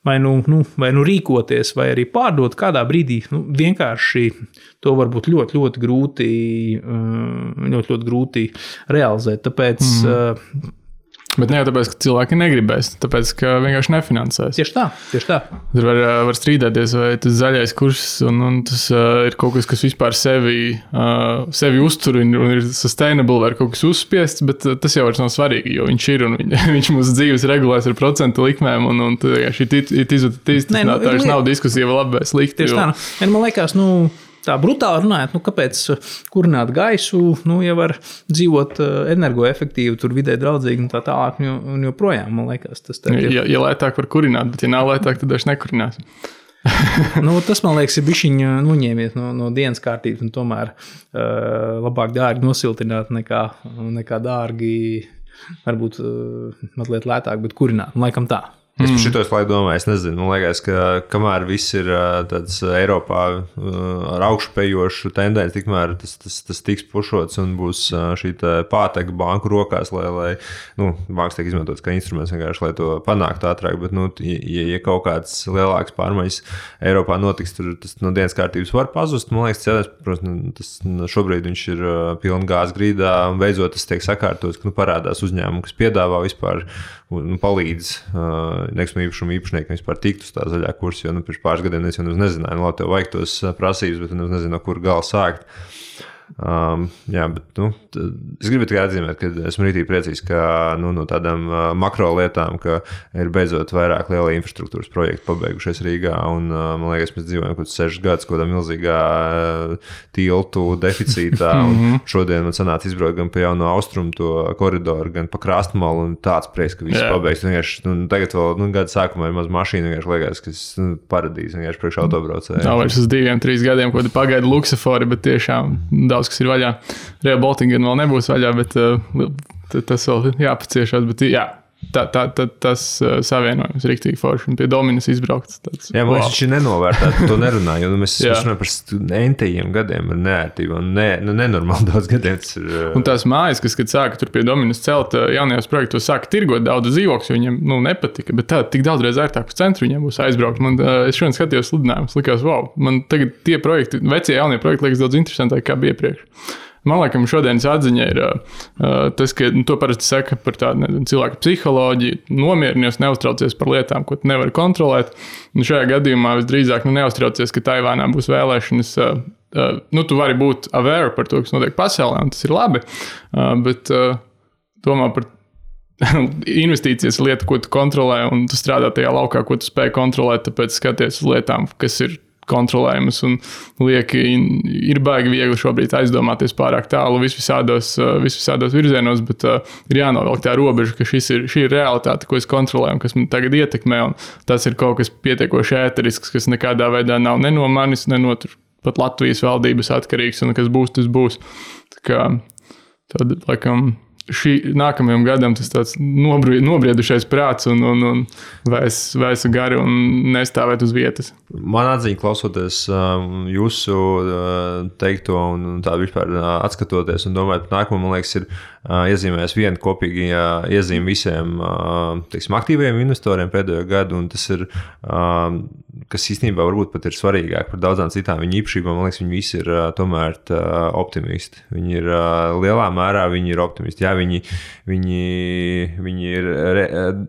vai nu, nu, vai nu rīkoties, vai arī pārdot kādā brīdī, nu, vienkārši to var būt ļoti, ļoti grūti, uh, ļoti, ļoti grūti realizēt. Tāpēc mm. uh, Bet ne jau tāpēc, ka cilvēki negribēs, tāpēc, ka vienkārši nefinansēs. Tieši tā, tieši tā. Tur var, var strīdēties, vai tas zaļais kurs un, un tas uh, ir kaut kas, kas vispār sevi, uh, sevi uztur un, un ir sustainable, vai kaut kas uzspiests, bet uh, tas jau vairs nav svarīgi, jo viņš ir un viņ, viņš mūsu dzīves regulēs ar procentu likmēm un, un šī izvērtīs, tas nav, tā nav diskusija, vai labi vai slikti. Tieši tā, nu, man liekas, nu, tā brutāli runājot, nu, kāpēc kurināt gaisu, nu, ja var dzīvot energoefektīvi, tur vidē draudzīgi un tā tālāk, un, un joprojām, man liekas, tas tā ir. Ja, ja lētāk var kurināt, bet ja nav lētāk, tad daži nekurinās. nu, tas, man liekas, ir bišķiņ noņēmies no, no dienas kārtības, un tomēr uh, labāk dārgi nosiltināt nekā, nekā dārgi, varbūt uh, mazliet lētāk, bet kurināt, un laikam tā. Es par šito slaidu domāju, es nezinu, man liekas, ka kamēr viss ir tāds Eiropā ar augšupejošu tendenci, tikmēr tas, tas, tas tiks pušots un būs šī pāteka banku rokās, lai, lai nu, bankas tiek izmantots kā instruments vienkārši, lai to panāktu ātrāk, bet, nu, ja, ja kaut kāds lielāks pārmaiņas Eiropā notiks, tur tas no dienas kārtības var pazust, man liekas, cēdēs, protams, tas šobrīd viņš ir pilna gāzes grīdā, un beidzot tas tiek sakārtots, ka, nu, parādās uzņēmumu, kas piedāvā vispār, nu, palīdz nekustamā īpašuma īpašniekam vispār tikt uz tā zaļā kursa, jo nu, pirms pāris gadiem es jau nezināju, nu, labi, tev vajag tos prasības, bet es nezinu, no kur gala sākt. Um, jā, bet, nu, es gribu tikai atzīmēt, ka esmu rītīgi priecīgs, ka nu, no tādām uh, makro lietām, ka ir beidzot vairāk liela infrastruktūras projektu pabeigušies Rīgā, un uh, man liekas, mēs dzīvojam kaut sešas gadus kaut kādā milzīgā uh, tiltu deficītā, un šodien man sanāca izbraukt gan pa jauno austrumu to koridoru, gan pa krastmalu, un tāds prieks, ka viss pabeigts. Vienkārši, nu, tagad vēl, nu, gada sākumā ir maz mašīna, vienkārši liekas, ka es nu, paradīze, vienkārši priekš autobraucēju. Nav vairs uz diviem, trīs gadiem, ko te pagaida luksafori, bet tiešām daudz, kas ir vaļā. Real Baltica vēl nebūs vaļā, bet uh, tas vēl jāpaciešās. Bet jā, tā, tā, tā, tas uh, savienojums ir riktīgi forši. Un pie Dominas izbraukts. Tāds, jā, man liekas, wow. Viņš ir nenovērtēt, to nerunāju. Jo mēs runājam par entajiem gadiem ar neērtību. Un ne, nu, nenormāli daudz gadiem tas ir. Uh... Un tās mājas, kas, kad sāka tur pie Dominas celt jaunajos projektos, sāka tirgot daudz dzīvokļus, jo viņiem nu, nepatika. Bet tā tik daudzreiz ērtāk uz centru viņiem būs aizbraukt. Man, uh, es šodien skatījos sludinājumus, likās, wow, man tagad tie projekti, vecie jaunie projekti liekas daudz interesantāk, kā bija iepriekš. Man liekas, šodienas atziņa ir uh, tas, ka nu, to parasti saka par tādu ne, cilvēku psiholoģiju, nomierinies, neuztraucies par lietām, ko tu nevari kontrolēt. Un šajā gadījumā visdrīzāk nu, neuztraucies, ka Taivānā būs vēlēšanas. Uh, uh, nu, tu vari būt aware par to, kas notiek pasaulē, un tas ir labi, uh, bet uh, domā par investīcijas lieta, ko tu kontrolē, un tu strādā tajā laukā, ko tu spēj kontrolēt, tāpēc skaties uz lietām, kas ir kontrolējumas un lieki, ir baigi viegli šobrīd aizdomāties pārāk tālu vis visādos, vis visādos virzienos, bet uh, ir jānovelk tā robeža, ka šis ir, šī ir realitāte, ko es kontrolēju un kas man tagad ietekmē, un tas ir kaut kas pietiekoši ēterisks, kas nekādā veidā nav ne no manis, ne no tur pat Latvijas valdības atkarīgs, un kas būs, tas būs. Tā kā tad, laikam, šī nākamajam gadam tas tāds nobriedušais prāts un, un, un vēs, vēsu gari un nestāvēt uz vietas. Man atziņa klausoties jūsu teikto un tā vispār atskatoties un domājot par nākamo, man liekas, ir iezīmēs viena kopīgi iezīme visiem teiksim, aktīviem investoriem pēdējo gadu, un tas ir, kas īstenībā varbūt pat ir svarīgāk par daudzām citām viņu īpašībām, man liekas, viņi visi ir tomēr optimisti. Viņi ir lielā mērā, viņi ir optimisti. Jā, viņi, viņi, viņi ir, re,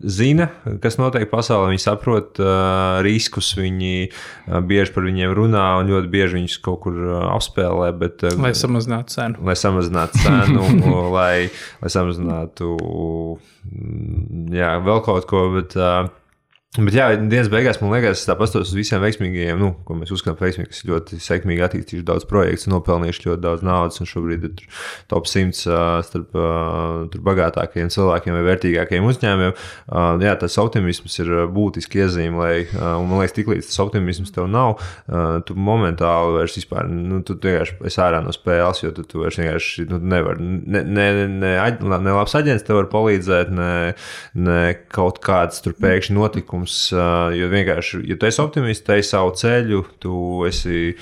zina, kas notiek pasaulē, viņi saprot uh, riskus, viņi uh, bieži par viņiem runā un ļoti bieži viņus kaut kur uh, apspēlē. Bet, uh, lai samazinātu cenu. Lai samazinātu cenu, lai, lai samazinātu jā, vēl kaut ko, bet... Uh, Bet jā, dienas beigās, man liekas, tā pastos uz visiem veiksmīgajiem, nu, ko mēs uzskatām par veiksmīgi, kas ļoti sekmīgi attīstījuši daudz projektus un nopelnījuši ļoti daudz naudas, un šobrīd ir top simts uh, starp uh, tur bagātākajiem cilvēkiem vai vērtīgākajiem uzņēmumiem. Uh, jā, tas optimisms ir būtiski iezīme, lai, uh, un man liekas, tiklīdz tas optimisms tev nav, uh, tu momentāli vairs vispār, nu, tu vienkārši esi ārā no spēles, jo tu, tu vairs vienkārši, nu, nevar, ne, ne, ne, ne labs aģents tev var palīdzēt, ne, ne kaut kāds tur pēkšņi notikums, uzbrukums, jo vienkārši, ja tu esi optimists, tu ej savu ceļu, tu esi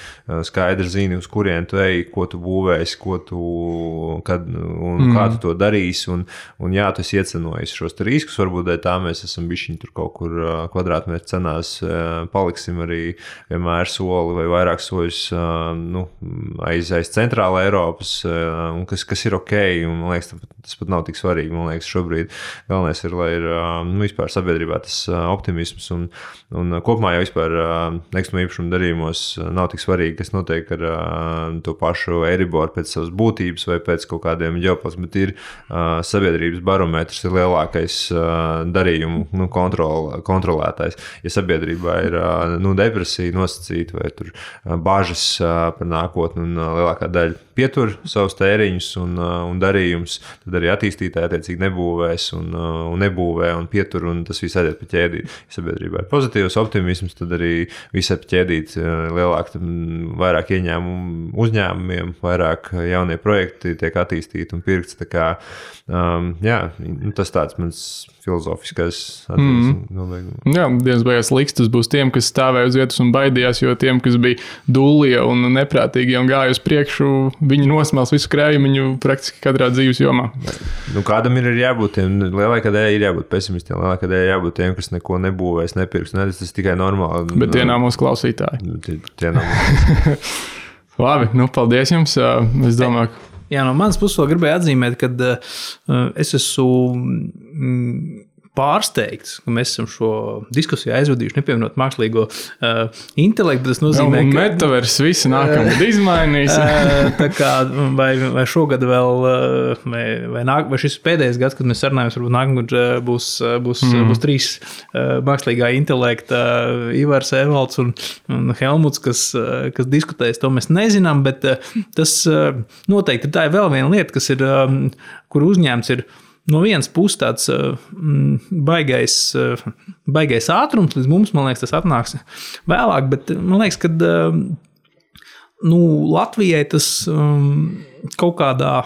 skaidri zini, uz kurien tu ej, ko tu būvēsi, ko tu, kad, un mm. kā tu to darīsi, un, un jā, tu esi iecenojis šos riskus, varbūt dēļ tā mēs esam bišķiņi tur kaut kur kvadrātmetru cenās, paliksim arī vienmēr soli vai vairāk soļus nu, aiz, aiz centrāla Eiropas, un kas, kas ir ok, un man liekas, tas pat nav tik svarīgi, man liekas, šobrīd galvenais ir, lai ir nu, vispār sabiedrībā tas optimisms, un, un kopumā jau vispār nekustamā īpašuma darījumos nav tik svarīgi, kas notiek ar to pašu Eiriboru pēc savas būtības vai pēc kaut kādiem ģeopolitikas, bet ir sabiedrības barometrs ir lielākais darījumu nu, kontrol, kontrolētājs. Ja sabiedrībā ir nu, depresija nosacīta vai tur bažas par nākotni un lielākā daļa pietur savus tēriņus un, un darījumus, tad arī attīstītāji attiecīgi nebūvēs un, un nebūvē un pietur, un tas viss aiziet pa ķēdīt. Ja sabiedrībā ir pozitīvs optimisms, tad arī viss ir pa ķēdīt lielāk, vairāk ieņēmumu uzņēmumiem, vairāk jaunie projekti tiek attīstīti un pirkts. Tā kā, um, jā, tas tāds mans filozofiskais attiecības nobeigums. Mm. Jā, dienas beigās likstas būs tiem, kas stāvēja uz vietas un baidījās, jo tiem, kas bija dullie un neprātīgi un gāja uz priekšu, viņi nosmels visu krējumiņu praktiski katrā dzīves jomā. Nu, kādam ir jābūt tiem, lielākā daļa ir jābūt pesimistiem, lielākā daļa jābūt tiem, kas neko nebūvēs, nepirks. Ne, tas, tas tikai normāli. Bet tie nav mūsu klausītāji. Tie, tie nav mūsu. Labi, nu paldies jums. Es domāju, ka... Jā, no manas puses vēl gribēju atzīmēt, ka uh, es esmu mm, pārsteigts, ka mēs esam šo diskusiju aizvadījuši, nepievienot mākslīgo uh, intelektu. Tas nozīmē, un ka... metavers visi nākamgad izmainīs. uh, tā kā, vai, vai šogad vēl, uh, vai, vai, nāk, vai šis pēdējais gads, kad mēs sarunājamies, varbūt nākamgad uh, būs, būs, mm. būs trīs uh, mākslīgā intelekta, uh, Ivars, Evalds un, un Helmuts, kas, uh, kas diskutēs, to mēs nezinām, bet uh, tas uh, noteikti tā ir vēl viena lieta, kas ir, um, kur uzņēmts ir no vienas puses tāds mm, baigais, baigais ātrums, līdz mums, man liekas, tas atnāks vēlāk, bet man liekas, ka nu, Latvijai tas um, kaut kādā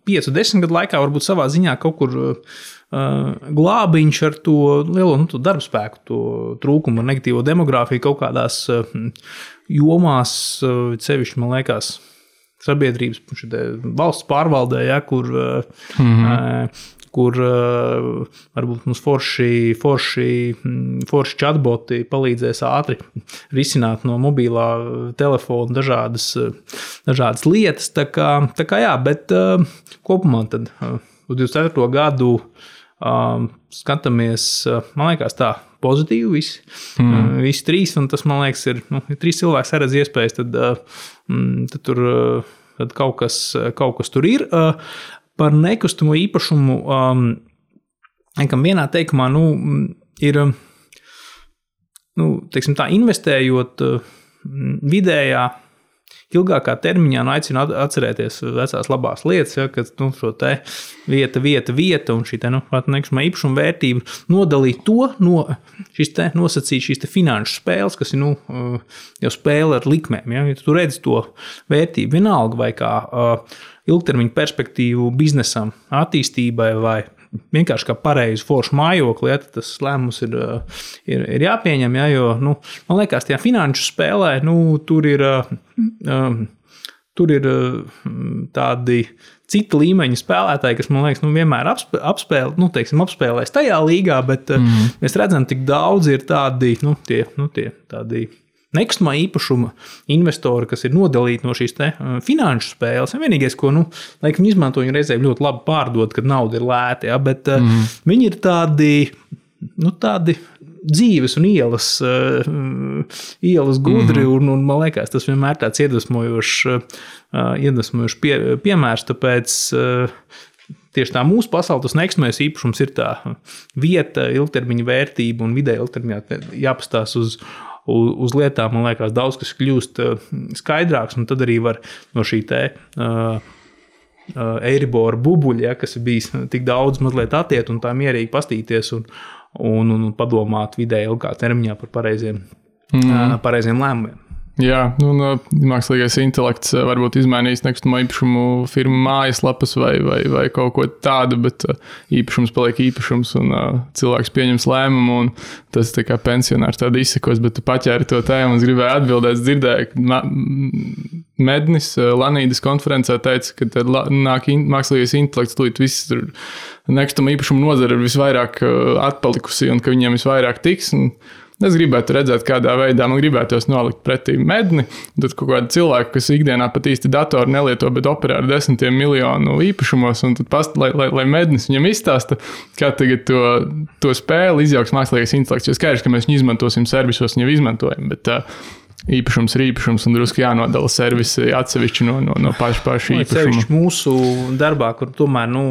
piecu, desmit gadu laikā varbūt savā ziņā kaut kur uh, glābiņš ar to lielo nu, to darbspēku, to trūkumu ar negatīvo demogrāfiju kaut kādās uh, jomās, uh, sevišķi, man liekas, sabiedrības valsts pārvaldē, ja, kur, mm-hmm. kur varbūt mums forši, forši, forši chatboti palīdzēs ātri risināt no mobilā telefona dažādas, dažādas lietas. Tā kā, tā kā jā, bet kopumā tad uz divdesmit ceturto gadu skatāmies, man liekas tā, pozitīvi visi, mm. visi trīs, un tas, man liekas, ir, nu, ja trīs cilvēki saredz iespējas, tad, tad tur tad kaut, kas, kaut kas tur ir. Par nekustamo īpašumu, nekam vienā teikumā, nu, ir, nu, teiksim tā, investējot vidējā, ilgākā termiņā, nu, aicinu atcerēties vecās labās lietas, ja, kad nu, šo te vieta, vieta, vieta un šī te, nu, nekustamā īpašuma vērtība nodalīt to no šīs te nosacīt šīs te finanšu spēles, kas ir, nu, jau spēle ar likmēm, ja, ja tu redzi to vērtību vienalga vai kā uh, ilgtermiņa perspektīvu biznesam, attīstībai vai vienkārši kā pareizi foršu mājokli, ja, tas lēmums ir, ir, ir jāpieņem, ja, jo, nu, man liekas, tajā finanšu spēlē, nu, tur ir, um, tur ir tādi cita līmeņa spēlētāji, kas, man liekas, nu, vienmēr apspē, apspēl, nu, teiksim, apspēlēs tajā līgā, bet mm. mēs redzam, tik daudz ir tādi, nu, tie, nu, tie tādi nekustamā īpašuma investori, kas ir nodalīti no šīs te finanšu spēles. Vienīgais, ko, nu, laikam, viņi izmanto, viņi reizēm ļoti labi pārdod, kad nauda ir lēta, ja, bet mm. viņi ir tādi, nu, tādi dzīves un ielas, uh, ielas gudri, mm. un, un, man liekas, tas vienmēr tāds iedvesmojošs, uh, iedvesmojošs pie, piemērs, tāpēc uh, tieši tā mūsu pasaule, tas nekustamais īpašums ir tā vieta, ilgtermiņa vērtība un vidēja ilgtermiņā jāpastās uz uz lietām, man liekas, daudz kas kļūst skaidrāks, un tad arī var no šī te uh, uh, Eiribora bubuļa, ja, kas ir bijis tik daudz mazliet attiet un tā mierīgi pastīties un, un, un padomāt vidēji ilgā termiņā par pareiziem, mm. uh, pareiziem lēmumiem. Jā, nu, no, mākslīgais intelekts varbūt izmainīs nekustamo īpašumu firmu mājaslapas vai, vai, vai kaut ko tādu, bet īpašums paliek īpašums un uh, cilvēks pieņems lēmumu un tas tā kā pensionārs tādu izsekos, bet tu paķēri to tēmu un es gribēju atbildēt, es dzirdēju, ka ma- Mednis Lanīdas konferencē teica, ka tad nāk in- mākslīgais intelekts, tūlīt viss tur nekustamo īpašumu nozara ir visvairāk atpalikusi un ka viņiem visvairāk tiks. Un, es gribētu redzēt, kādā veidā man gribētos nolikt pretī Medni. Tad kaut kādi cilvēki, kas ikdienā pat īsti datoru nelieto, bet operē ar desmitiem miljonu īpašumos, un tad past, lai, lai, lai Mednis viņam izstāsta, kā tagad to, to spēli izjauks mākslīgais intelekts. Jo skaidrs, ka mēs viņu izmantosim servisos, viņu izmantojam, bet uh, īpašums ir īpašums un drusku jānodala servisi atsevišķi no, no, no paša paša īpašuma. Mūsu darbā, kur tomēr nu,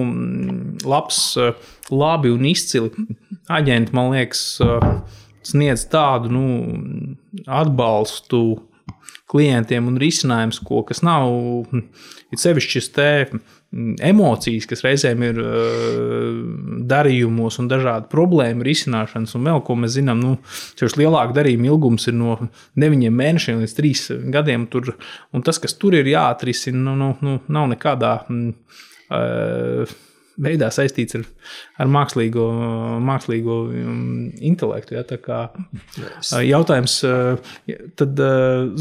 labs, labi un izcili aģenti, man liekas, sniedz tādu nu, atbalstu klientiem un risinājums, ko, kas nav it sevišķi te emocijas, kas reizēm ir darījumos un dažādu problēmu risināšanas, un vēl, ko mēs zinām, nu, šis lielāka darījuma ilgums ir no deviņiem mēnešiem līdz trīs gadiem, tur, un tas, kas tur ir jāatrisina, nu, nu, nu, nav nekādā uh, veidā saistīts ar, ar mākslīgo, mākslīgo intelektu. Ja, tā kā jautājums, tad,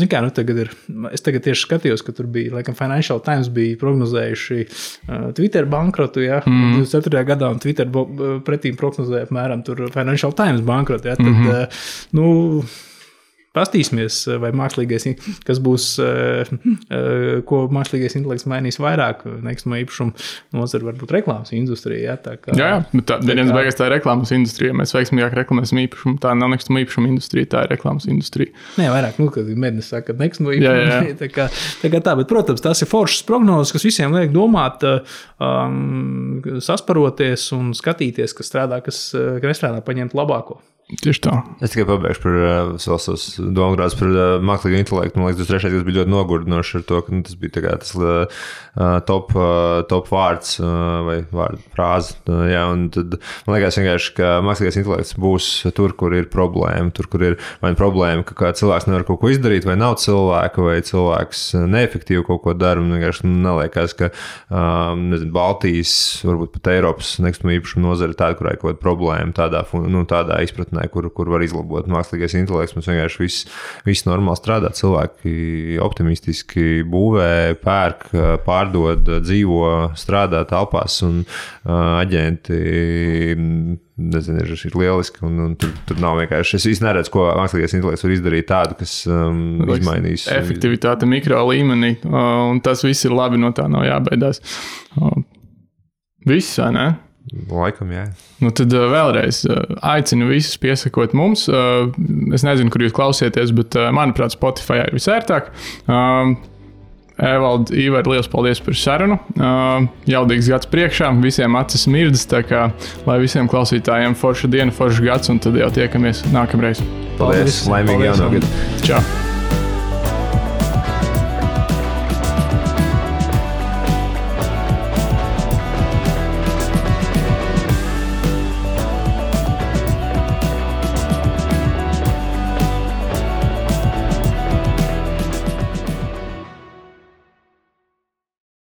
zin kā, nu tagad ir, es tagad tieši skatījos, ka tur bija, laikam Financial Times bija prognozējuši Twitter bankrotu, ja, mm. divdesmit ceturtajā gadā, un Twitter pretīm prognozēja apmēram tur Financial Times bankrotu, ja, tad, mm-hmm. nu, pastīsimies, vai mākslīgais, kas būs, ko mākslīgais intelekts mainīs vairāk, nekustamo īpašumu nozara varbūt reklāmas industrija. Ja, tā kā, jā, jā, bet tā, tā, kā... beigās tā ir reklāmas industrija. Mēs veiksmīgāk reklamēsim īpašumu. Tā nav nekustamo īpašumu industrija, tā ir reklāmas industrija. Nē, vairāk, nu, kad Mednis saka, ka nekustamo īpašumu. Tā kā, tā kā tā, bet, protams, tās ir foršas prognozes, kas visiem liek domāt, um, sasparoties un skatīties, kas strādā, kas, kas nestrādā, paņemt labāko. Tieši tā. Es tikai pabeigšu par uh, savus domgrādus par uh, mākslīgo intelektu. Man liekas, tas trešais gads bija ļoti nogurdinošs ar to, ka nu, tas bija tā kā tas uh, top, uh, top vārds uh, vai vārdu frāze. Uh, jā, un tad man liekas vienkārši, ka mākslīgais intelekts būs tur, kur ir problēma. Tur, kur ir vai problēma, ka cilvēks nevar kaut ko izdarīt, vai nav cilvēka, vai cilvēks neefektīvi kaut ko dara. Man vienkārši neliekas, ka um, nezinu, Baltijas, varbūt pat Eiropas nekustamo īpašumu nozara ir tāda, kurā ir kaut kāda problēma tādā, nu, tādā izpratnē. Kur, kur var izlabot mākslīgais intelekts. Mums vienkārši viss, viss normāli strādā. Cilvēki optimistiski būvē, pērk, pārdod, dzīvo, strādā telpās un uh, aģenti nezinu, ir, ir lieliski. Un, un tur, tur nav vienkārši. Es īsti neredzu, ko mākslīgais intelekts var izdarīt tādu, kas um, izmainīs. Efektivitāte mikro līmenī. Uh, un tas viss ir labi, no tā nav jābaidās. Uh, viss, vai ne? Laikam, jā. Nu, tad vēlreiz aicinu visus piesakot mums. Es nezinu, kur jūs klausieties, bet, manuprāt, Spotify ir visērtāk. Evald, Ivar, liels paldies par sarunu. Jaudīgs gads priekšā, visiem acis mirdas, tā kā lai visiem klausītājiem forša diena, forša gads, un tad jau tiekamies nākamreiz. Paldies, paldies. Laimīgi jauno gadu. Čau!